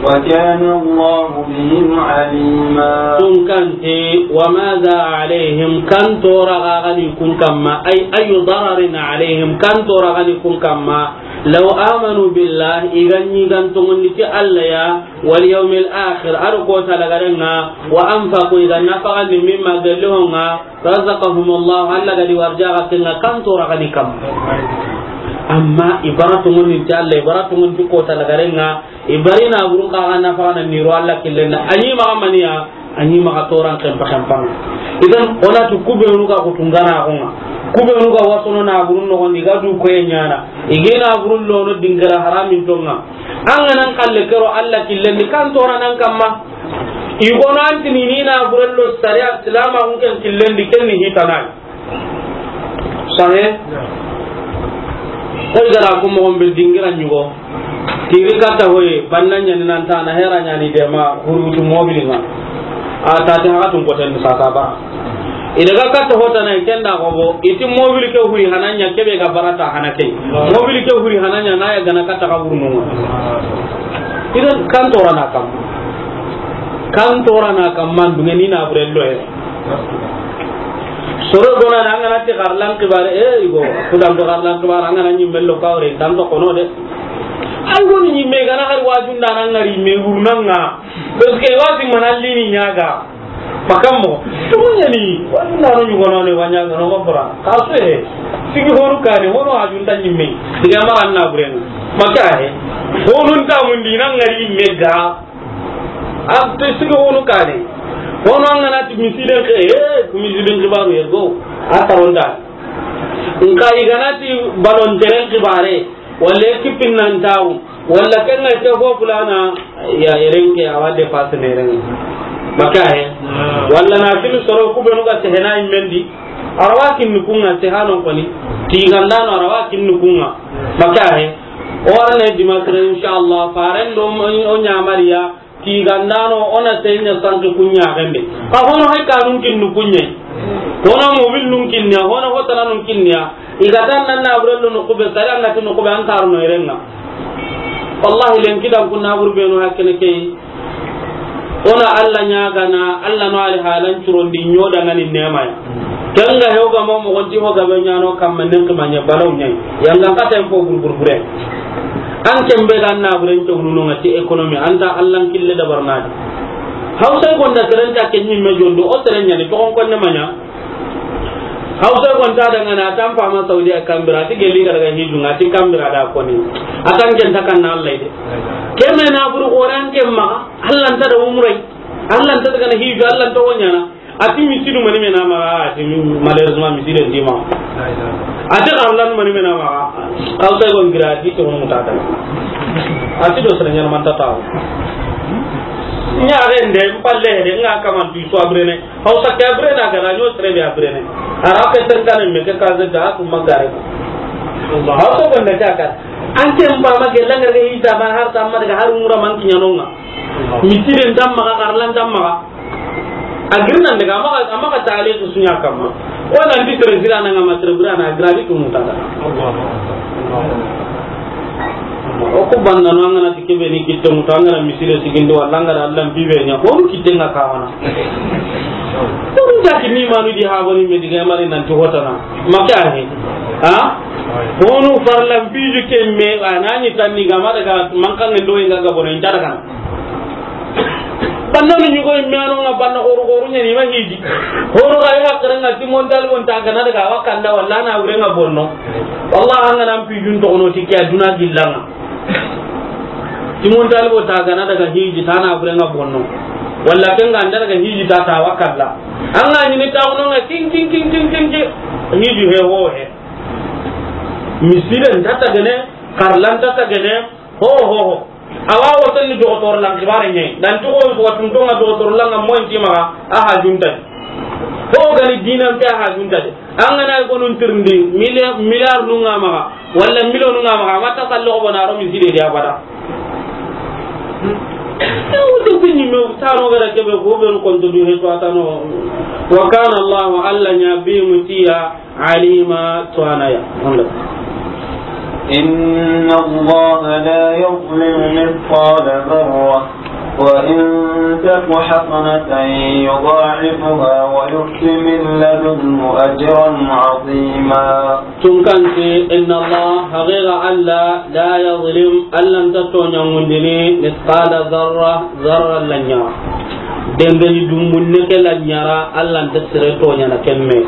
وكان الله بهم عليما. Kun kan ti, وماذا عليهم, kan tora ga ga ni kun kamma, أي أي ضرر عليهم, kan tora ga ni kun kamma, لو آمنوا بالله, i ga ɲi ga n tonŋundi ti Alla ya, واليوم الآخر, a do kota lagarenŋa, وأنفقوا, i ga nafaxandi, مما, gelli ho ŋa, رزقهم الله, Alla ga di warjaxa ken ŋa, kan tora ga ni kamma. Amma i bara tonŋundi ti Alla, i bara tonŋundi ti kota lagarenŋa, i bari na burun xa ga nafaxana ni ro Alla killen da. A ɲi maxa maniya, a ɲi maxa toran xenpa xenpa ŋa. Idan, o na ti ku be nu ga ku tungana xo ŋa. Ku be nu ga wasono na burun no gondi ga du koye ɲaana. I ge na burun lono dingira haramin tonŋa. An ga nan xalle kero Alla killen di kan tora nan kamma. I gono an tini ni na burello sariya silama hun ken killen di ken ni hitana. Sahe? Koy gara ko mo be dingira ɲugo. Tiri kata hoye, banna ɲa ni nan ta na hera ɲa ni de ma, hurutu mobili ŋa. A ta ti haka tun ko ten sa ta ba. I daga kata hota na ken da ko bo, i ti mobili ke huri hana ɲa kebe ga barata hana ke. Mobili ke huri hana ɲa na ya gana kata ka hurnu ŋa. Idan kan tora na kam. Kan torana kamman dunŋe ni na burello e. Soro gona na an ga na ti xarlan xibaare, e, i go, ku dan do xarlan xibaare, an ga na ɲi mello kawre, tan to kono de. Ay woni ɲi me ga na har wajun da nan ngari me wurnanga. Parce que wasi manalli ni ɲaga. Makammo, tumuɲani, wani nano ɲugono ne, waɲa gano gobra. Kaso he, sigi honu kane, hono hajunta ɲimme. Diga mara na buren. Maka he. Honu nta mundi nan ngari mega. Abte sigi honu kane. Hono an ga na ti misiden ke, he, ku misiden xibaru yergo. A taronda. Nka i ga na ti balon teren xibaare. Walla kipin nan tawu, walla kenga ke fo fulana, ya yeren ke awa de passe ne ren. Maka he. Walla na fil soro ku benu ga sehena imendi. Arawa kin kunga sehano koni. Tigandano arawa kin kunga. Maka he. O arne dimasre inshallah. Faren do o ɲamariya. Tigandano, ona senya sanki kunya gembe. Ka hono hay kanun kinnu kunye. Hono mobil nun kinniya, hono hotana nun kinniya. Igatan nan na burello no kube, sare an gati no kube an tarno erenga. Wallahi len kidan kunna burbe no hakkene kay. Ona Allah ɲaga na, Allah no ali halan curondi ɲoda ngani nema ya. Kenga hewga mo mo gonti ho gabe ɲano kamma nen kima ɲa balaw ɲai. Yanga kata en fo gurgurbure. An kembe ga na buren to nuno ngati économie anta Allah kille da barnadi. Hausa gonda serenta ke ɲimme jondo o serenya ni to kon ne manya. Hausa gonda daga na tampa ma Saudi a kambira ti geli ga daga hiju ngati kambira da koni. Atan ken takan na Allah ide. Kemme na buru Qur'an kemma Allah nta da umrai. Allah nta daga na hiju Allah nta wonyana. A ti misidu mani mena maxa, a ti mi-, malheureusement miside ndi maxa. A ti xarlan mani mena maxa, aw tay gon gira a ti to muta ta. A ti do sere ɲana manta taw. Ɲa a rende, mpalle de, nga kaman tu so abrene. Aw sa ke abrene a gara ɲo sere be abrene. A ra ke tan kan me ke ka ze da ku magare. Aw so gon da ka. An ke mba ma ke langa ke hita ma har ta ma daga har umra man kiɲanonga. Miside ndam maxa, xarlan ndam maxa. A girnan daga, a maxa, a maxa taliqu suɲa kamma. Wala ndi tere sira na ngama tere bura na gradi tu muta da. O ku banna no an ga na ti kebe ni gitto muta an ga na misire sigindo wala an ga na Allah bibe ɲa. Honu kitte nga kawana. Honu ta ki ni manu di ha boni me diga mari nan ti hotana. Maka he. Ha? Honu farlan biju kemme anani tanni gama daga mankan ndo inga ga bono inta daga. Banna ni ɲugo imme ano nga banna xoru xoru ɲani ma hiji. Xoru ga ya kare nga Simon Talib on ta gana daga wa kanda wala na wure nga bonno. Wallahi an ga na mpi jun to no ti ke aduna gillanga. Simon Talib on ta gana daga hiji ta na wure nga bonno. Wala ken ga anda daga hiji ta ta wa kalla. An ga ni ta no nga kin kin kin kin kin kin. Hiji he ho he. Misiden ta ta gane, karlan ta ta gane. Ho ho ho. Awa wotonni dogotor lan kibare ɲe. Dan to ko wa tuntonga dogotor lan mo inti maxa a ha junta. Ho gani dinan pe a ha junta de. An ga na ko nun tirndi milliard, milliard nu nga maxa wala million nu nga maxa mata kallo ko bona ro miside de abada. Wutu fini me tano gara kebe ko be ko to du he to atano. Wa kana Allah, Allah ɲa bi mutiya. Alima, to anaya. إن الله لا يظلم مثقال ذرة وإن تك حسنة يضاعفها ويؤت من لدنه أجرا عظيما. Tunkanti, إن الله, haqiqa Allah, لا يظلم, Allah nta toɲangundini, مثقال ذرة, zarra lanya. Dengeni dumbunne ke lanyara, Allah nta sere toɲana kemme.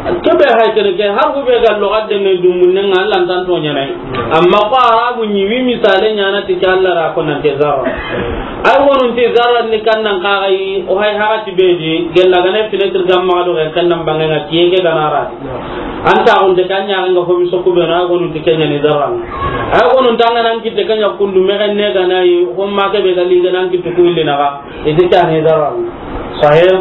Kebe hay kene ke, har hube ga loga dengeni dumbunne nga, Allah nta toɲana. Amma ko Arabu ni wi misale ɲana ti ke Allah ra ko nan te zarra. Ay wonun ti zarra ni kan nan ka gai, o hay haga ti beji, gella gane fenêtre gamma do kan nan bangenga tiye ke ganara. Anta on de kanya nga ho mi sokku be na gonun ti kenya ni zarra. Ay gonun tanga nan kitte kanya kundu me ne ga nayi, ho ma ke be ga li ga nan kittu ku ille na ga. Iti kanya ni zarra. Sahih.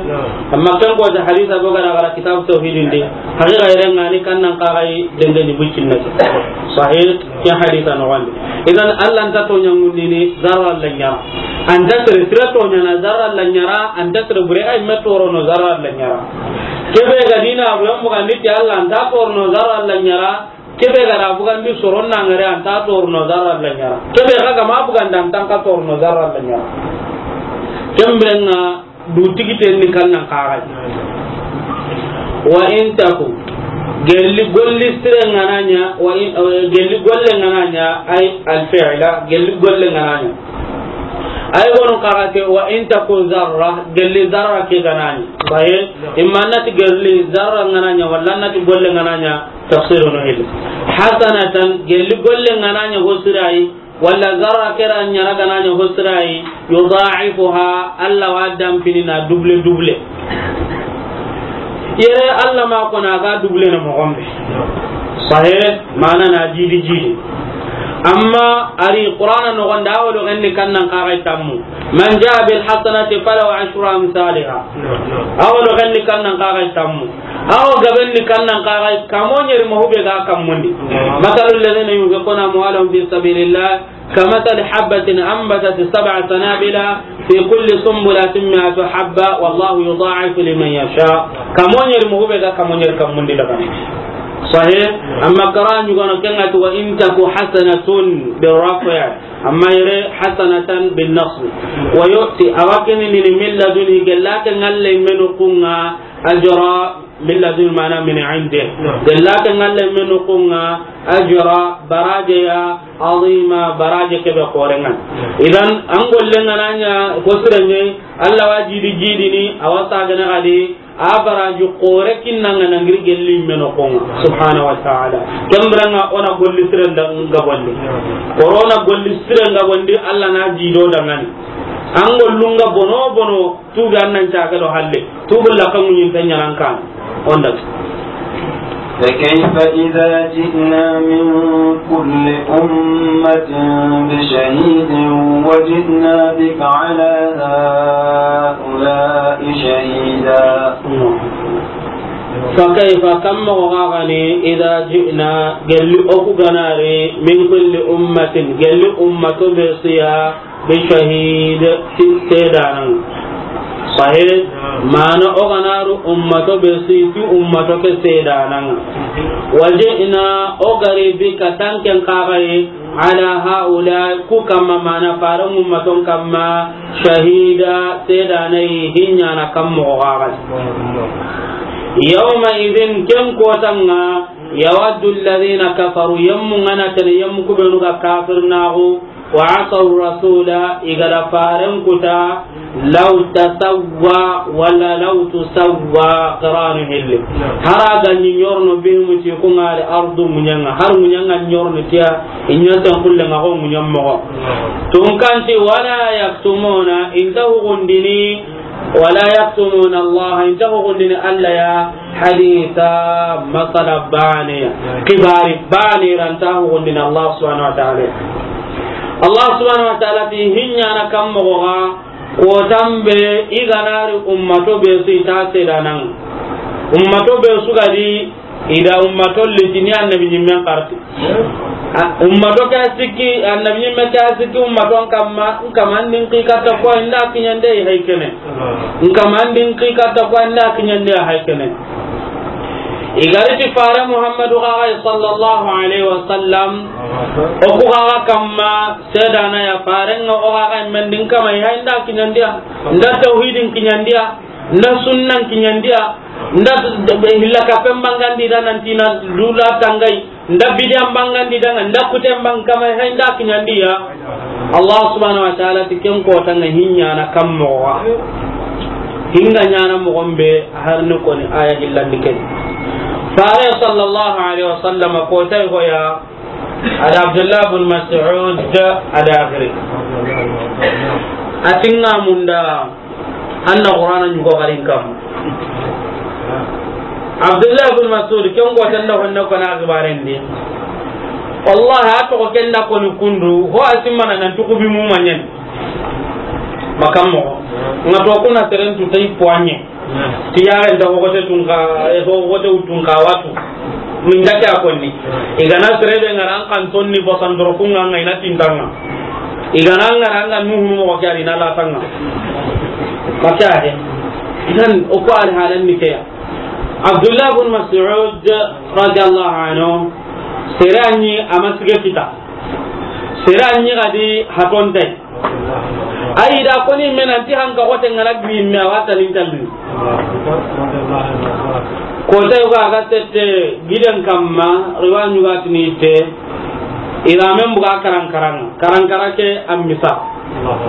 Amma kan ko da hadisa go ga na gara kitab tauhid inde. Haqiqa yere ngani kan nan ka gai dengeni bucin na. Sahih. Ke hadisa no wande. Idan Allah nta toɲangundini zarra lanyara. Anta sere sira toɲana zarra lanyara, anta sere bure ay metoro no zarra lanyara. Kebe ga dina abu yambu gandi ti Allah nta torno zarra lanyara. Kebe ga da bugandi soron na ngare anta torno zarra lanyara. Kebe ga ga ma buganda anta ka torno zarra lanyara. Ken biren ŋa du tigiten ni kannan kaxay. Wa in taku, gelli golli sire ŋa na ɲa, wa in, eh, gelli golle ŋa na ɲa, ay al fi'la, gelli golle ŋa na ɲa. Ay gono kaxate, wa in taku zarra, gelli zarra ke ga na ɲa. Baye, imma na ti gelli zarra ŋa na ɲa, walla na ti golle ŋa na ɲa, tafsiru no hil. Hasanatan, gelli golle ŋa na ɲa ho sirayi, walla zarra kera ɲa na ga na ɲa ho sirayi, yudha'ifuha, Allah wa dampini na double double. Yere Allah ma ko na ga double na moxo be. Sahe, mana na jidi jidi. Amma ari Qur'ana noxon da, a wa do xenni kannan kaxay tammu. Man jaa bil hasanati falahu ashru amsaliha. A wa do xenni kannan kaxay tammu. A wa gabenni kannan kaxay, kamo ɲeri ma hube ga kammundi. Mathalu alladhina yunfiquna amwalahum fi sabilillah kamathali habbatin anbatat sab'a sanabila fi kulli sunbulatin mi'atu habba wallahu yudha'ifu liman yasha. Kamo ɲeri ma hube ga kamo ɲeri kammundi daga. Sahih. Amma qira'a ɲugono ken ŋa ti, wa in taku hasanatun bi rafi'. Amma yere hasanatan bin nasb. Wa yu'ti, a wa kinini, min laduni, gella ke ŋa Alla yimme noxon ŋa, ajra, min laduni mana min indi. Gella ke ŋa Alla yimme noxon ŋa, ajra, baraje ya, azima, baraje ke be xoren ŋa. Idan, an golle ŋa na ɲa ho sire ɲa, Allah wa jidi jidini, a wa sagana xadi, a baraji xore kinna ŋa na giri gelli yimme noxon ŋa, subhanahu wa ta'ala. Ken biren ŋa o na golli siren da gabondi. Korona golli siren gabondi, Allah na jido dangani. An gollun ga bono bono, tubi an nan caga do halle. Tubi la kan ɲin tan ɲanan kan. Onda. فكيف إذا جئنا من كل أمة بشهيد وجئنا بك على هؤلاء شهيدا. Fa kayfa, kamma ko gagani, idha ji'na, gelli oku ganari, min kulli ummatin, gelli ummato be su ya, bi shahid, ti sedanan. Sahih, mana o ganaru ummato be su, ti ummato ke sedanan. Wa ji'na, o gari bika tanken kagai, ala haula, ku kamma mana faran ummaton kamma, shahida, sedanai, hinyana kammo gagan. Yawma idhin, ken kotanga, yawaddu alladhina kafaru, yammu ngana tene, yammu kubenu ga kafir nagu, wa asaw rasula, igada faren kuta, law tasawwa, wala law tusawwa, qiranu hilli. Hara ga ni nyorno bihimu ti kungari ardu munyanga, har munyanga nyorno tiya, inyo tan kulle nga ko munyam mo. Tunkanti wala yaktumuna, inta hugundini, wala yaktumuna Allah, inta hugundini Allah ya, haditha, masala bane, kibari bane ranta hugundini Allah subhanahu wa ta'ala. Allah subhanahu wa ta'ala ti hinyana kammo ga, kotambe iganari ummato be su ita sedanan. Ummato be su gadi, ida ummato litini annabi nyimmen karti. A, ummato ka sikki, annabi nyimme ka sikki, ummato kamma, kamma ndin ki katta ko inda kinyande haykene. Kamma ndin ki katta ko inda kinyande haykene. Igariti fare Muhammadu gagai sallallahu alaihi wasallam, oku gaga kamma sedana ya farenga o gagai mendin kamma ya inda kinyandiya, nda tauhidin kinyandiya, nda sunnan kinyandiya, nda hilla kapen bangandi da nantina lula tangai, nda bidiyan bangandi da, nda kuten bang kamma ya inda kinyandiya. Allah subhanahu wa ta'ala ti ken kotanga hinyana kammo wa. Hinga nyana mo gombe harni koni aya hillandi ken. Fare sallallahu alaihi wasallam kotay goya, ada Abdullah bin Mas'ud ada akhiri. Atinga munda anna Qur'ana nyugo garin kam. Abdullah bin Mas'ud, ken go tanda honne ko na gibaren di. Wallahi, a to ko ken da ko ni kundu, ho asimana nan tukubi mu manyen. Makammo. Nga to kuna seren tu tay poanye. Tiyaren da hogote tunka, eh, hogote utunka watu. Min da kya konni. Igana serebe ngara an kan tonni bosandoro kunga nga ina tintanga. Igana ngara anga nuhu mo kya ri na latanga. Makya he. Idan o ko al halan ni kya. Abdullah bin Mas'ud radiyallahu anhu, sere anyi a ma sige kita. Sere anyi gadi hatonte. Ayi da koni me nanti hanka xote ŋa na giri me a wa tani ntalli. Ko ta yogo a ga sette giden kamma, riwa ɲuga tini te. Ira men buga karan karan, karan kara ke a misa.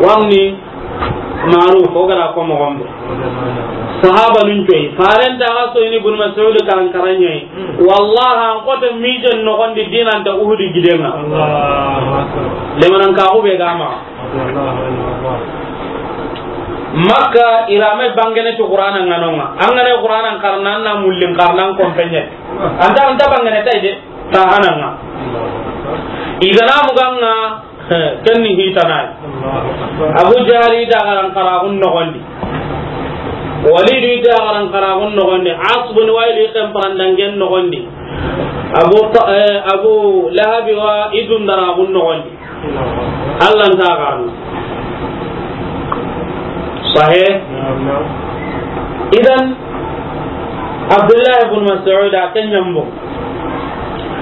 Wani Maruf, o gara ko moxo be. Sahaba nun coyi. Faren ta ga so ini Ibn Mas'ud karan karan ɲa yi. Wallahi an xote mijen noxon di dinan ta Uhudi giden ŋa. Allahu Akbar. Lemanan ka xube ga ma. Makka, ira me bangene ti Qur'ana ŋa no ŋa. An ga na Qur'ana xarana, an na mullin xarana, an kompenye. An ta, an ta bangene tay de, ta hanan ŋa. I ga na muga ŋa, ken ni hitana yi. Abu Jahal i da garan xara gun noxon di. Walid i da garan xara gun noxon di. As bin Wa'il i ken parandangen noxon di. Abu Ta-, eh, Abu Lahab wa i dundara gun noxon di. Allah nta xarana. Sahih? Idan, Abdullah ibn Mas'ud a ken ɲambo.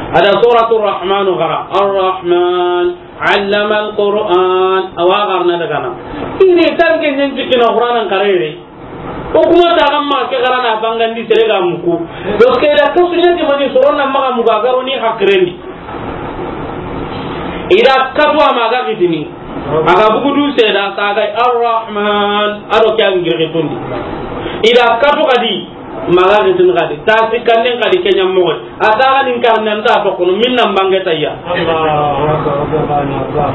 A da Suratul Rahman xara. Ar-Rahman, allama al-Qur'an. A wa xarana daga na. Ini tanke ɲen jikina Qur'anan karere. O kuma ta ga ma ke xarana bangandi sere ga muku. Parce que da kasu ɲa ti mani sorona maxa muga garo ni hakirendi. I da katu a ma ga gitini. A ga bugu du seda sa ga Ar-Rahman, a do ke an girgitundi. I da katu kadi, ma ga gitini kadi. Ta sikanden kadi ke ɲa moxo. A ta ga nin karne nta to kono, min nan bange tayya. Allahu Akbar, Allahu Akbar.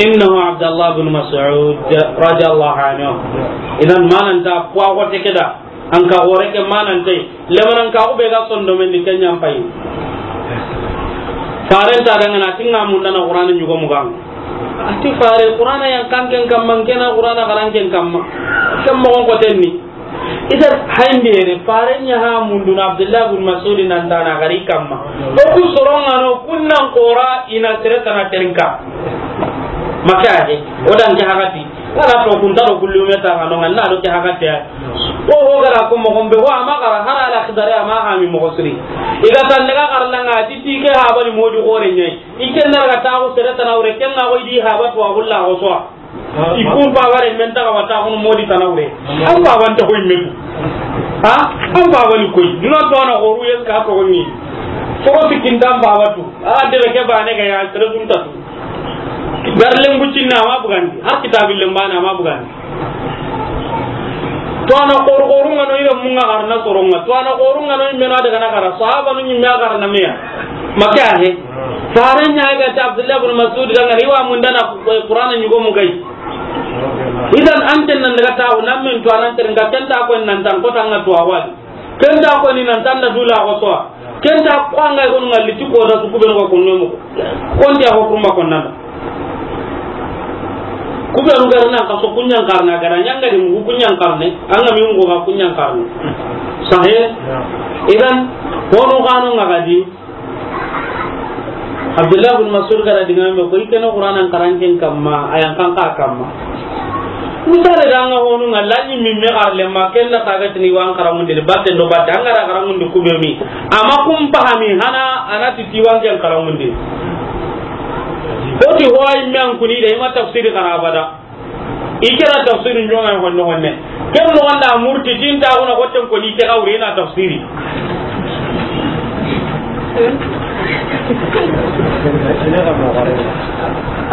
Innahu Abdullah bin Mas'ud radiyallahu anhu. Idan manan ta kwa ko te keda. An ka gore ke manan te. Lemanan ka ube ga sondo men di ken ɲa mpayi. Faren ta dangana tinga mundana Qur'ana ɲugo mugan. A ti fare Qur'ana yan kan ken kamma, kena Qur'ana garan ken kamma. Ken moxon ko tenni. Ita hayndere, fare ɲa ha munduna Abdullah bin Mas'ud nan dana gari kamma. O ku soronga no kunnan qora ina sere tana terinka. Maka he, o dan ke hagati. Wala to kun taro kullu me ta no nganna do ke hagati. O ho gara ko mo gombe wa ma gara hara ala khidare ma ha mi mo siri. Iga tan daga garlanga ti ti ke ha bari modi gore ɲai. Iken na ga ta ko sere tana wure ken na ko idi ha ba to agulla ko so. I kun pabare men taga wata kun modi tana wure. An paban ta koy metu. Ha? An paban koy. Duna to na horu yen ka ko ni. Ko tikindan babatu. A de ke bane ga ya sere kun tatu. Darlen bucinna ma bugandi. Har kitabil lembana ma bugandi. To ana horu horu ngano ira munga garna soronga. To ana horu ngano mena daga na gara. Sahaba nu nyimme garna meya. Maka he. Faren ɲa ga ta Abdullah ibn Mas'ud ga ngari wa mundana Qur'ana ɲugo mu gai. Idan an ten nan daga tawo nan men to anan ten ga ken ta ko nan tan ko tan to awal. Ken ta ko ni nan tan da dula ko so. Ken ta ko an ga ko ngalli ti ko da su ku be ko ko no mo. Kon dia ko kuma ko nan. Ku be ru ga na ka so kunyan karna ga na nyanga di mu kunyan karne. An ga mi mu ga kunyan karne. Sahih. Idan ko no ga no ngadi. Abdullah bin Mas'ud gara digaame ko, i kene Qur'anan karan ken kamma, a yan kan ka kamma. Misale da anga honu nga laɲi mi me garle ma ken da kaga tini wan karamundi batte do batte anga da karamundi ku be mi. Ama kum pahami hana anati ti wan ken karamundi. Oti hoy men kuni de ma tafsiri kara bada. I kera tafsirin jonga honne honne. Ken no wanda murti tinta wona hotten ko ni ke awre na tafsiri.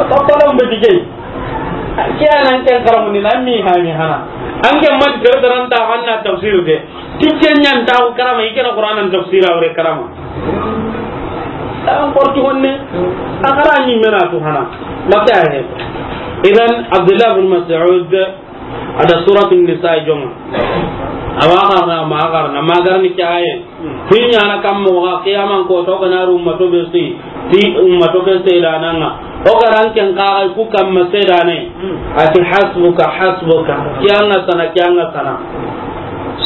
Papa lam be dige. Ke anan ken karamu ni nan mi ha mi hana. An ke ma dara dara ta hanna tafsir de. Tijjen ɲan ta karama, i kena Qur'anan tafsira wure karama. An korti honne, a kara ni mena tu hana. Maka he. Idan Abdullah bin Mas'ud ada Suratun Nisa jonga. Awa karna, ma karna, ma garni ke aye. Hinya na kam mo ga kiyaman ko to kana ru ummato be si. Ti ummato ke seedananga. O ga ran ken ka ku kamma seedane. Ati hasbuka, hasbuka. Kiyanga sana, kiyanga sana.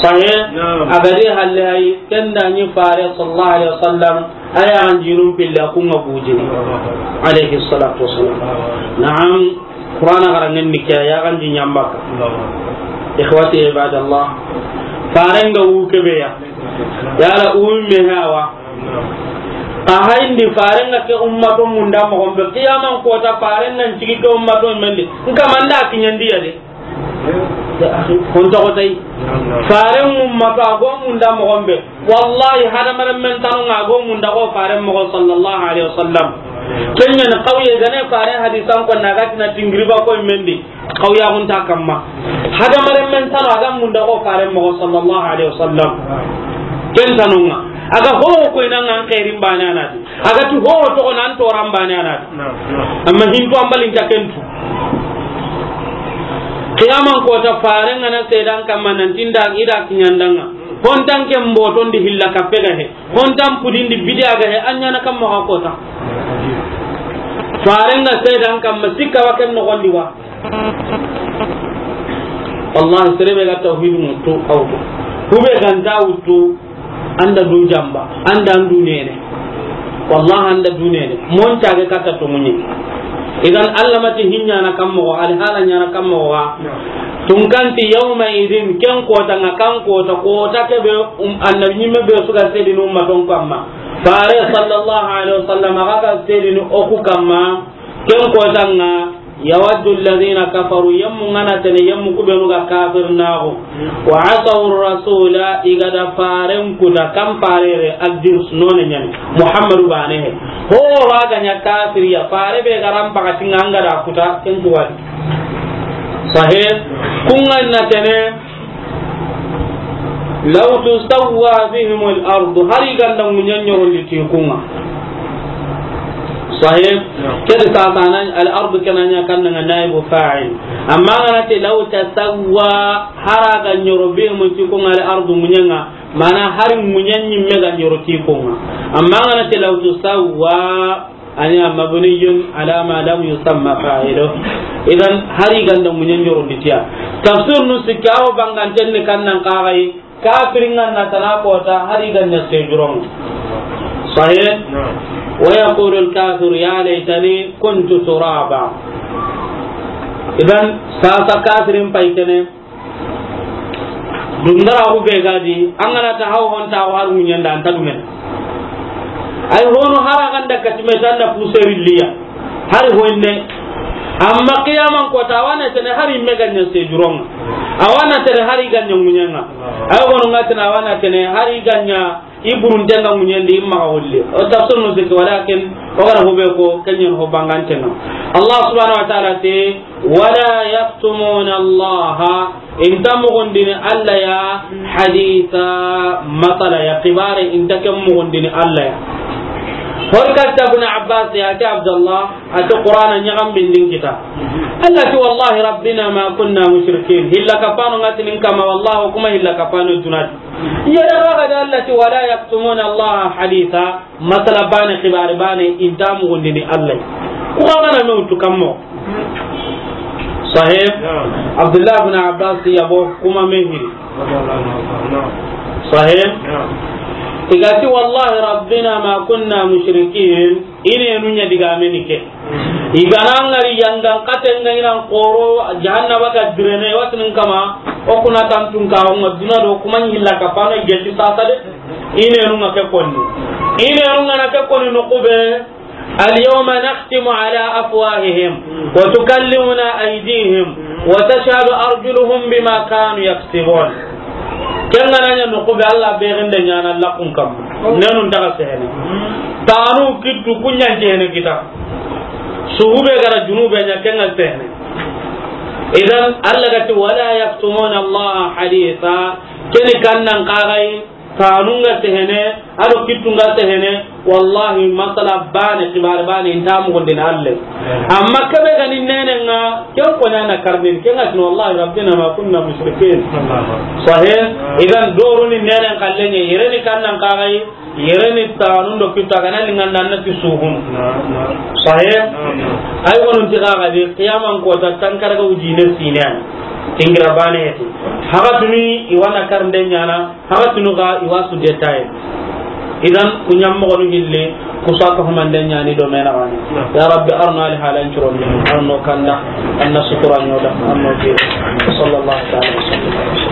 Sahih? Naam. A ga di halle ay, ken da ni fare sallallahu alaihi wasallam, aya an jinum billa kunga bujini. Alaihi salatu wasallam. Naam. Qur'ana garangen ni ke ya kan di nyambaka. Ikhwati ibadallah. Farenga wu kebe ya. Yala umme hawa. Xa hayindi faren ga ke ummato munda moxon be, qiyaman kota faren nan cigi ke ummato mendi. Nka manda kiɲandiya de. Hon toxo tay. Faren ummato a go munda moxon be. Wallahi, hadamaren men tanu nga go munda ko faren moxo sallallahu alaihi wasallam. Kenya ni qawye gane faren hadisan ko na gatina tingiriba ko mendi. Qawya gunta kamma. Hadamaren men tanu a ga munda ko faren moxo sallallahu alaihi wasallam. Ken tanunga. A ga ho ko ina ngan khairin bane anati. A ga tu ho to nan toran bane anati. Amma hinto ambalin ta kentu. Qiyaman kota faren ngana sedan kamma nan tinda ida kiɲandanga. Hontan ke mboton di hilla ka pega he. Hontan pudin di bidia ga he, anyana kamma ka kota. Faren ga sedan kamma sikka wa ken no gondi wa. Wallahi, sere be ga tawhid mutu awto. Kube ganta wutu, anda du jamba, anda andu nene. Wallahi, anda du nene. Mon tage kata to munyi. Idan Allah mati hinya na kammo, al hala nya na kammo wa. Tunkanti yawma idin, ken kota nga kan kota, kota ke be, um, annabi nyimme be suga sedinu ummaton kamma. Fare sallallahu alaihi wasallam aga ka sedinu oku kamma. Ken kota nga, yawaddu alladhina kafaru, yemmu ngana tene, yemmu kubenu ga kafir nago. Wa asaw rasula, igada faren kuta, kam farere, addin sunone nyani. Muhammadu bane he. Ho raga nya kafiriya, fare be garam pakati nganga da kuta, ken tuwadi. Sahih, kunga na tene, law tusawwa bihim al-ard, hari ganda munyan nyoro liti kunga. Sahih. Kedi sasana al-ard kenanya kanna naibu fa'il. Amma ngana te law tasawwa, hara ga nyoro bihim ti kunga al-ard munyanga, mana hari munyan nyimme ga nyoro ti kunga. Amma ngana te law tusawwa, anya mabniyun ala ma lam yusamma fa'ilu. Idan hari ganda munyan nyoro litiya. Tafsir nu sikka o banganten ni kannan kagai. Kafirin nan na tana kota hari ganya sejuron. Sahih? Na'am. Wa yaqulu al-kafir ya laitani kuntu turaba. Idan sasa kafirin paitene. Dundara ku be gadi, angana ta haw hon ta har munyan da anta dumen. Ay hono hara ganda katime tanda puseri liya. Hari hoynde. Amma qiyaman kota, awana tene hari me ganya sejuron. Awana tene hari ganya munyanga. Ay hono ngatena awana tene hari ganya iburun tenga munyendi imma holle. O tafsir no zikki, walakin o gara hobe ko kenyen ho bangan tenga. Allah subhanahu wa ta'ala te, wala yaktumuna Allah. Inta mugundini Allah ya haditha, masala ya kibare, inta ken mugundini Allah ya. Hor katta Ibn Abbas ya ke Abdullah, ati Qur'ana nyagam bindin kita. Allah ti, wallahi rabbina ma kunna mushrikin. Hilla kapano ngatinin kama, wallahi kuma hilla kapano junat. Yada raga da Allah ti, wala yaktumuna Allah haditha. Masala bane, xibari bane, inta mugundini Allah. Ku xa gana me wutu kammo. Sahih? Naam. Abdullah ibn Abbas yabo kuma me hiri. Naam. Sahih? Naam. Igati, wallahi rabbina ma kunna mushrikin. Ine nu nya diga meni ke. Igana ngari yangan katen ga inan koro jahannaba ga direne watinin kama. O kuna tantun ka o ngaduna do kuma hilla kapano gelli sasa de. Inenunga ke konni. Inenunga na ke konni no kube. Al yawma nakhtimu ala afwahihim wa tukallimuna aydihim wa tashhadu arjuluhum bima kanu yaksibun. Kenga nanya no kube Allah be gende nyana lakun kam. Nenun daga sehene. Tanu kittu kunya jene kita. Suhube gara junube nya kenga sehene. Idan Allah gati wala yaktumuna Allah haditha. Keni kannan kagai. Tanunga sehene, ado kittunga sehene, wallahi masala bane, kibari bane, inta mugundini Allah. Amma kebe gani nenenga, ken ko nyana karnin, ken ngatino wallahi rabbina ma kunna mushrikin. Sahih, idan doruni nenen kallenye, yereni kannan kagai, yereni tanundo kitta gana linganda na ti suhun. Sahih, ay wonun ti kaga de, qiyaman kota tankaraga ujine sinan. Tingira bane heti. Haga tuni iwana karnden nyana. Haga tunu ga iwa su detail. Idan kunyam mo gonu hille kusa ka humande nyani do mena wani. Ya Rabbi, arno ali halan curon, arno kanda, anna sutura nyoda, arno ke. Sallallahu ta'ala wa sallam.